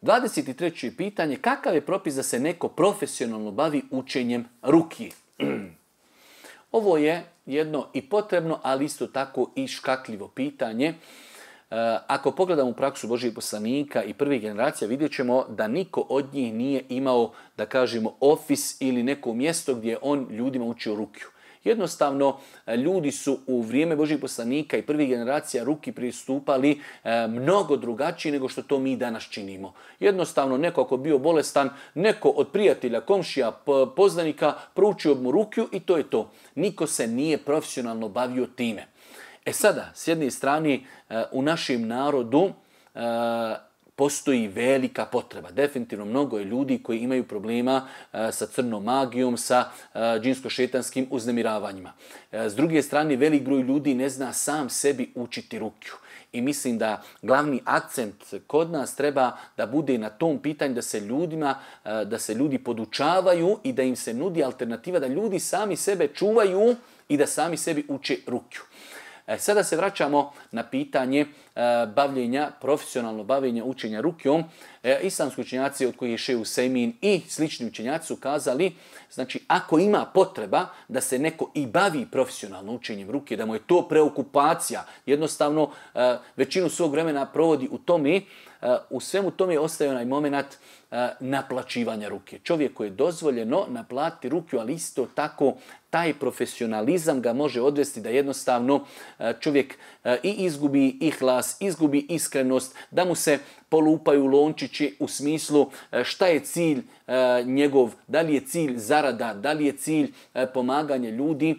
dvadeset treće pitanje, kakav je propis da se neko profesionalno bavi učenjem ruki? Ovo je jedno i potrebno, ali isto tako i škakljivo pitanje. Ako pogledamo u praksu Božjih poslanika i prvih generacija, vidjet ćemo da niko od njih nije imao, da kažemo, ofis ili neko mjesto gdje on ljudima učio rukiju. Jednostavno, ljudi su u vrijeme Božjih poslanika i prvih generacija ruki pristupali e, mnogo drugačije nego što to mi danas činimo. Jednostavno, neko ako bio bolestan, neko od prijatelja, komšija, poznanika proučio mu rukiju i to je to. Niko se nije profesionalno bavio time. E sada, s jedne strane, e, u našem narodu e, postoji velika potreba. Definitivno mnogo je ljudi koji imaju problema e, sa crnom magijom, sa e, džinsko-šetanskim uznemiravanjima. E, s druge strane, velik broj ljudi ne zna sam sebi učiti rukiju. I mislim da glavni akcent kod nas treba da bude na tom pitanju da se ljudima, e, da se ljudi podučavaju i da im se nudi alternativa, da ljudi sami sebe čuvaju i da sami sebi uče rukiju. E, sada se vraćamo na pitanje e, bavljenja, profesionalno bavljenja učenja rukijom. E, islamski učenjaci od kojih je Šejh Usejmin i slični učenjaci su kazali, znači ako ima potreba da se neko i bavi profesionalno učenjem rukije, da mu je to preokupacija, jednostavno e, većinu svog vremena provodi u tome, e, u svemu tome ostaje onaj moment e, naplaćivanja ruke. Čovjeku je dozvoljeno naplatiti rukiju, ali isto tako taj profesionalizam ga može odvesti da jednostavno čovjek i izgubi ihlas, izgubi iskrenost, da mu se polupaju lončići u smislu šta je cilj njegov, da li je cilj zarada, da li je cilj pomaganje ljudi.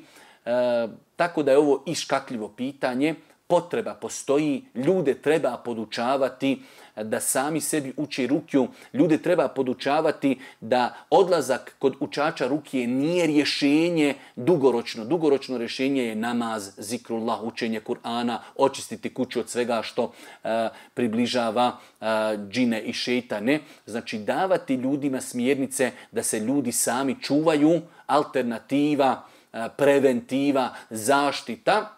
Tako da je ovo i škakljivo pitanje. potreba postoji, ljude treba podučavati da sami sebi uče rukju, ljude treba podučavati da odlazak kod učača rukije nije rješenje dugoročno. Dugoročno rješenje je namaz, zikrullah, učenje Kur'ana, očistiti kuću od svega što uh, približava uh, džine i šejtane. Znači davati ljudima smjernice da se ljudi sami čuvaju, alternativa, uh, preventiva, zaštita.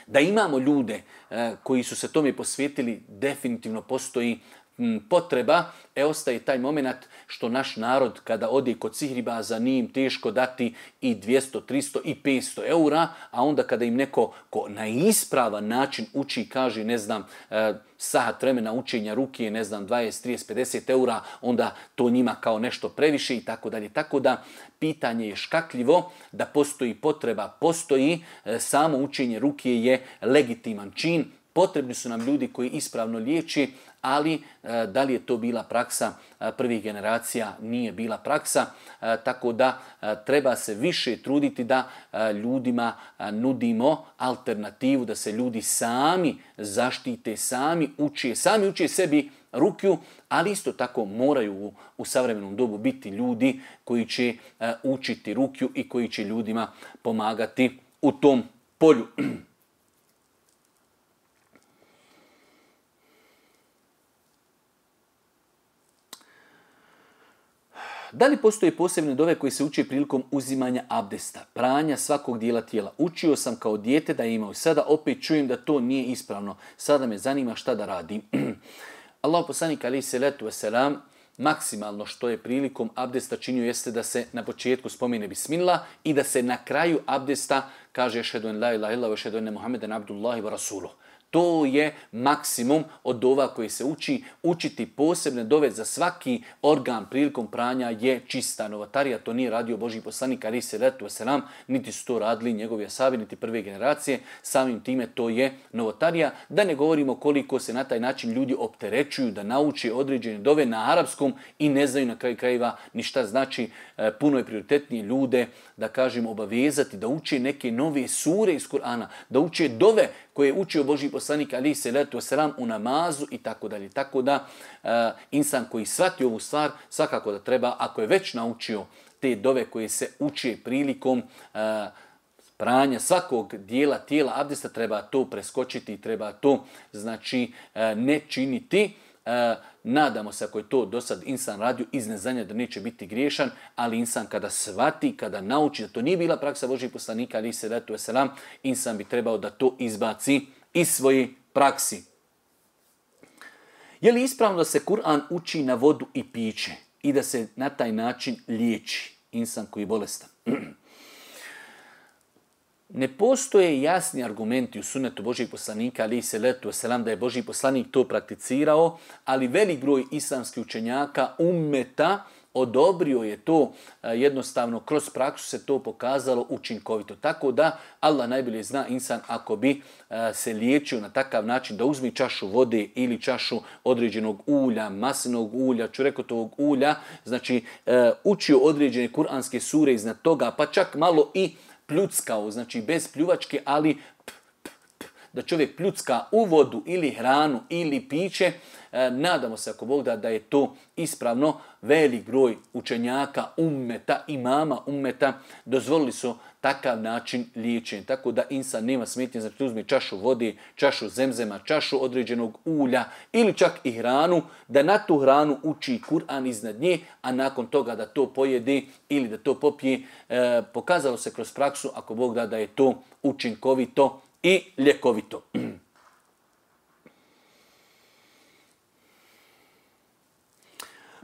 Da imamo ljude e, koji su se tome posvetili, definitivno postoji m, potreba. E, ostaje taj moment što naš narod kada ode kod sihribaza nije im teško dati i dvjesto, tristo i petsto eura, a onda kada im neko ko na ispravan način uči, kaže, ne znam, e, sahat vremena učenja ruke, ne znam, dvadeset, trideset, pedeset eura, onda to njima kao nešto previše i tako dalje. Tako da pitanje je škakljivo, da postoji potreba, postoji, e, samo učenje ruke je legitiman čin. Potrebni su nam ljudi koji ispravno liječi, ali e, da li je to bila praksa e, prvih generacija, nije bila praksa, e, tako da e, treba se više truditi da e, ljudima e, nudimo alternativu, da se ljudi sami zaštite, sami uče, sami uče sebi rukju, ali isto tako moraju u, u savremenom dobu biti ljudi koji će e, učiti rukju i koji će ljudima pomagati u tom polju. Da li postoje posebne dove koje se uče prilikom uzimanja abdesta, pranja svakog dijela tijela? Učio sam kao dijete da je imao. Sada opet čujem da to nije ispravno. Sada me zanima šta da radim. Allah poslanik alejhi selatu vesselam maksimalno što je prilikom abdesta činio jeste da se na početku spomene bismillah i da se na kraju abdesta kaže ešhedu en la ilaha illallah ve ešhedu enne Muhammeden abdullahi ve rasuluh. To je maksimum od dova koji se uči. Učiti posebne dove za svaki organ prilikom pranja je čista novotarija. To nije radio Božji poslanik alejhi selatu vesselam, niti su to radili njegovi ashabi, niti prve generacije. Samim time to je novotarija. Da ne govorimo koliko se na taj način ljudi opterećuju da nauče određene dove na arapskom i ne znaju na kraju krajeva ni šta znači. Puno je prioritetnije ljude, da kažem, obavezati da uče neke nove sure iz Kur'ana, da uče dove koje je učio Božji poslanik alejhi selatu vesselam u namazu i tako dalje. Tako da uh, insan koji shvati ovu stvar, svakako da treba, ako je već naučio te dove koje se uče prilikom uh, pranja svakog dijela tijela abdesta, treba to preskočiti, treba to znači uh, ne činiti. Uh, nadamo se ako je to do sad insan radio iz neznanja da neće biti griješan, ali insan kada shvati, kada nauči da to nije bila praksa Božjih poslanika alejhi selatu vesselam, insan bi trebao da to izbaci iz svoje praksi. Je li ispravno da se Kur'an uči na vodu i piće i da se na taj način liječi insan koji je bolestan? Ne postoje jasni argumenti u sunnetu Božjeg poslanika alejhi selatu vesselam da je Božji poslanik to prakticirao, ali velik broj islamskih učenjaka ummeta odobrio je to, jednostavno kroz praksu se to pokazalo učinkovito. Tako da Allah najbolje zna insan ako bi se liječio na takav način da uzme čašu vode ili čašu određenog ulja, maslinovog ulja, čurekotovog ulja, znači učio određene kuranske sure iznad toga, pa čak malo i pljuckao, znači bez pljuvačke, ali p, p, p, da čovjek pljucka u vodu ili hranu ili piće, e, nadamo se ako Bog da da je to ispravno. Velik broj učenjaka ummeta, imama ummeta dozvolili su takav način liječenja. Tako da insan nema smetnje, znači uzme čašu vode, čašu zemzema, čašu određenog ulja ili čak i hranu, da na tu hranu uči Kur'an iznad nje, a nakon toga da to pojede ili da to popije. E, pokazalo se kroz praksu, ako Bog da da je to učinkovito i ljekovito.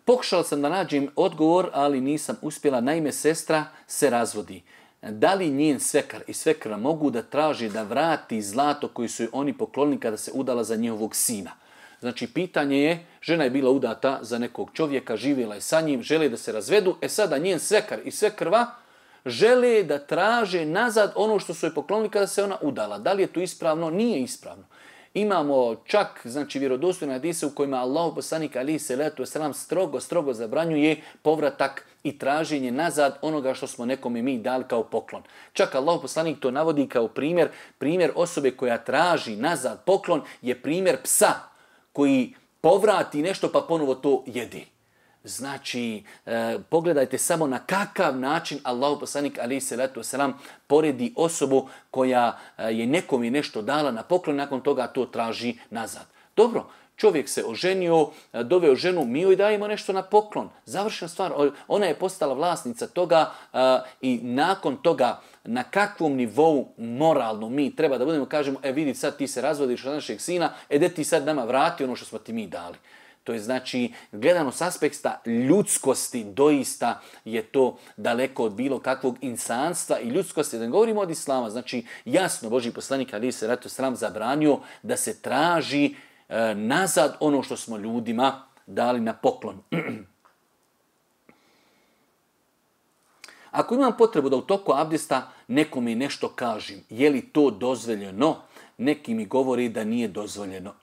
Pokušala sam da nađem odgovor, ali nisam uspjela. Naime, sestra se razvodi. Da li njen svekar i svekra mogu da traže da vrati zlato koje su oni poklonili kada se udala za njihovog sina? Znači, pitanje je, žena je bila udata za nekog čovjeka, živjela je sa njim, žele da se razvedu, e sada njen svekar i svekrva žele da traže nazad ono što su joj poklonili kada se ona udala. Da li je to ispravno? Nije ispravno. Imamo čak znači vjerodostojne hadise u kojima Allahu poslanik alejhi selatu vesselam strogo strogo zabranjuje povratak i traženje nazad onoga što smo nekome mi dali kao poklon. Čak Allahu poslanik to navodi kao primjer, primjer osobe koja traži nazad poklon je primjer psa koji povrati nešto pa ponovo to jedi. Znači, e, pogledajte samo na kakav način Allahu poslanik alejhi selatu vesselam poredi osobu koja je nekome nešto dala na poklon, nakon toga to traži nazad. Dobro, čovjek se oženio, doveo ženu, mi joj dajemo nešto na poklon. Završena stvar, ona je postala vlasnica toga a, i nakon toga na kakvom nivou moralno mi treba da budemo, kažemo, e vidi sad ti se razvodiš od našeg sina, e de ti sad nama vrati ono što smo ti mi dali. To je znači, gledano s aspekta ljudskosti, doista je to daleko od bilo kakvog insanstva i ljudskosti. Da ne govorimo od islama, znači jasno Božji poslanik alejhi selatu vesselam zabranio da se traži e, nazad ono što smo ljudima dali na poklon. Ako imam potrebu da u toku abdesta nekome nešto kažem, je li to dozvoljeno? Neki mi govori da nije dozvoljeno.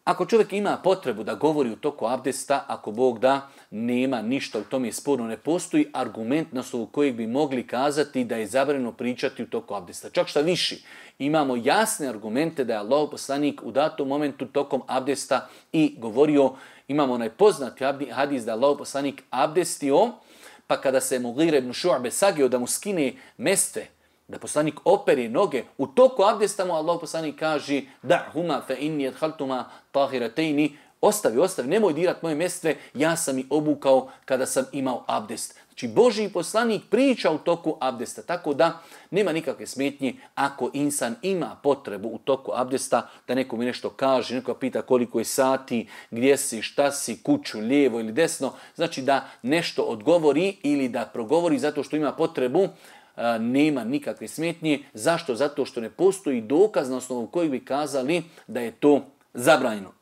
Ako čovjek ima potrebu da govori u toku abdesta, ako Bog da, nema ništa u tome sporno, ne postoji argument na osnovu kojeg bi mogli kazati da je zabranjeno pričati u toku abdesta. Čak šta viši, imamo jasne argumente da je Allahov poslanik u datom momentu tokom abdesta i govorio, imamo onaj poznati hadis da je Allahov poslanik abdestio, pa kada se Mughira ibn Šu'be sagio da mu skine mestve, da poslanik opere noge, u toku abdesta mu Allah poslanik kaže da'huma fa inni adkhaltuma tahirataini, ostavi, ostavi, nemoj dirat moje mestve, ja sam ih obukao kada sam imao abdest. Znači Božji poslanik priča u toku abdesta, tako da nema nikakve smetnje ako insan ima potrebu u toku abdesta da neko mi nešto kaže, neko pita koliko je sati, gdje si, šta si, kuću, lijevo ili desno, znači da nešto odgovori ili da progovori zato što ima potrebu, nema nikakve smetnje. Zašto? Zato što ne postoji dokaz na osnovu kojeg bi kazali da je to zabranjeno.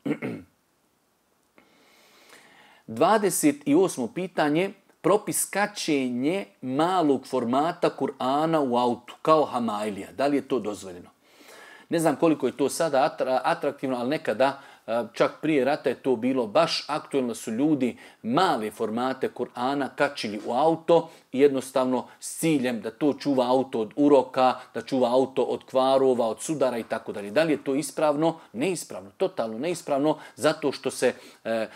dvadeset osmo pitanje. Propis kačenje malog formata Kur'ana u autu, kao hamailija. Da li je to dozvoljeno? Ne znam koliko je to sada atraktivno, ali nekada, čak prije rata je to bilo baš aktuelno, su ljudi male formate Kur'ana kačili u auto i jednostavno s ciljem da to čuva auto od uroka, da čuva auto od kvarova, od sudara i tako dalje. Da li je to ispravno? Neispravno, totalno neispravno, zato što se e, e,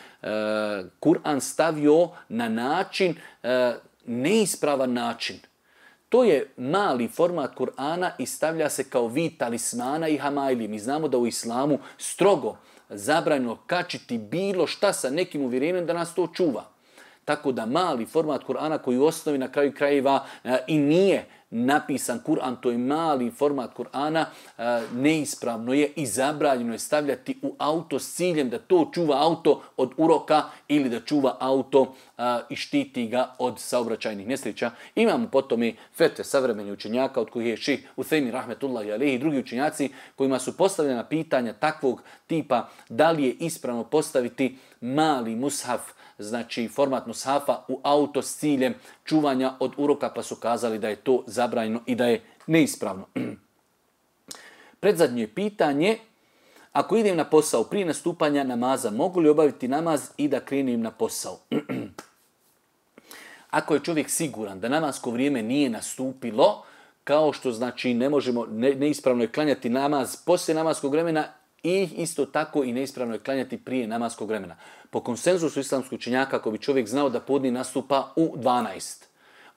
Kur'an stavio na način, e, neispravan način. To je mali format Kur'ana i stavlja se kao vid talismana i hamaili. Mi znamo da u islamu strogo zabranjeno kačiti bilo šta sa nekim uvjerenjem da nas to čuva. Tako da mali format Kur'ana koji u osnovi na kraju krajeva e, i nije napisan Kur'an, to je mali format Kur'ana, e, neispravno je i zabranjeno je stavljati u auto s ciljem da to čuva auto od uroka ili da čuva auto e, i štiti ga od saobraćajnih nesreća. Imamo potom i fetve savremenih učenjaka od kojih je šejh Uthejmin rahmetullahi alejhi i drugi učenjaci kojima su postavljena pitanja takvog tipa da li je ispravno postaviti mali mushaf, znači format mushafa u auto s ciljem čuvanja od uroka, pa su kazali da je to zabranjeno i da je neispravno. Predzadnje pitanje, ako idem na posao prije nastupanja namaza, mogu li obaviti namaz i da krenem na posao? Ako je čovjek siguran da namasko vrijeme nije nastupilo, kao što znači ne možemo, ne, neispravno je klanjati namaz poslije namaskog vremena, i isto tako i neispravno je klanjati prije namaskog vremena. Po konsenzusu islamskog učenjaka, ako bi čovjek znao da podni nastupa u dvanaest,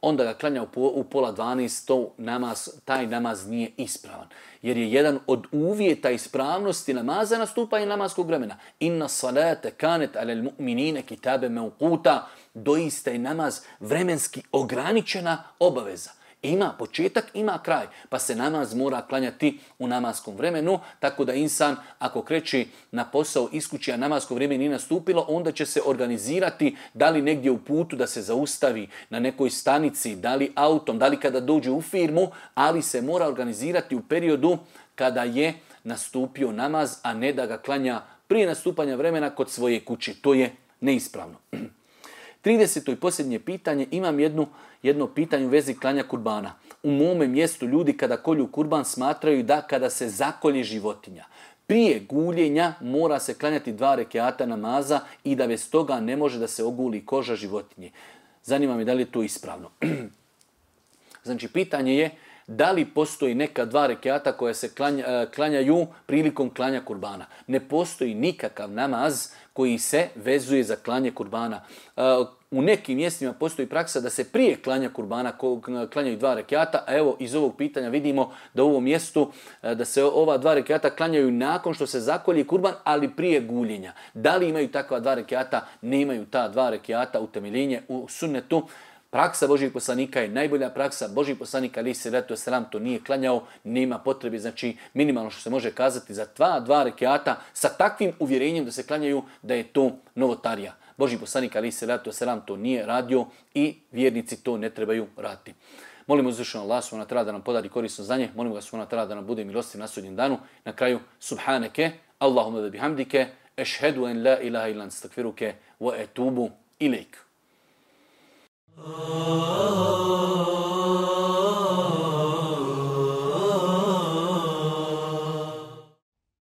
onda ga klanja u pola dvanaest, to namaz, taj namaz nije ispravan. Jer je jedan od uvjeta ispravnosti namaza nastupanje namaskog vremena. Inna salate kanet alel mu'minine kitabe meukuta, doista je namaz vremenski ograničena obaveza. Ima početak, ima kraj, pa se namaz mora klanjati u namaskom vremenu, tako da insan ako kreće na posao iz kuće, a namasko vrijeme nije nastupilo, onda će se organizirati da li negdje u putu da se zaustavi na nekoj stanici, da li autom, da li kada dođe u firmu, ali se mora organizirati u periodu kada je nastupio namaz, a ne da ga klanja prije nastupanja vremena kod svoje kuće. To je neispravno. trideseto i posljednje pitanje, imam jednu, jedno pitanje u vezi klanja kurbana. U mome mjestu ljudi kada kolju kurban smatraju da kada se zakolje životinja prije guljenja mora se klanjati dva rekiata namaza i da bez toga ne može da se oguli koža životinje. Zanima me da li je to ispravno. Znači, pitanje je da li postoji neka dva rekiata koja se klanja, klanjaju prilikom klanja kurbana. Ne postoji nikakav namaz koji se vezuje za klanje kurbana. U nekim mjestima postoji praksa da se prije klanja kurbana klanjaju dva rekiata, a evo iz ovog pitanja vidimo da u ovom mjestu da se ova dva rekiata klanjaju nakon što se zakolje kurban, ali prije guljenja. Da li imaju takva dva rekiata? Nemaju ta dva rekiata utemeljenje u sunnetu. Praksa Božjih poslanika je najbolja praksa. Božji poslanik alejhi selatu vesselam to nije klanjao, nema potrebe, znači minimalno što se može kazati za dva, dva rekiata sa takvim uvjerenjem da se klanjaju da je to novotarija. Božji poslanik alejhi selatu vesselam to nije radio i vjernici to ne trebaju raditi. Molimo uzvišenog Allaha subhanahu wa ta'ala da nam podari korisno znanje, molimo ga subhanahu wa ta'ala da nam bude milostiv na sudnjem danu. Na kraju, subhaneke, Allahumma wa bihamdike, ešhedu en la ilaha illa anta astaghfiruke wa etubu ilejk. Oh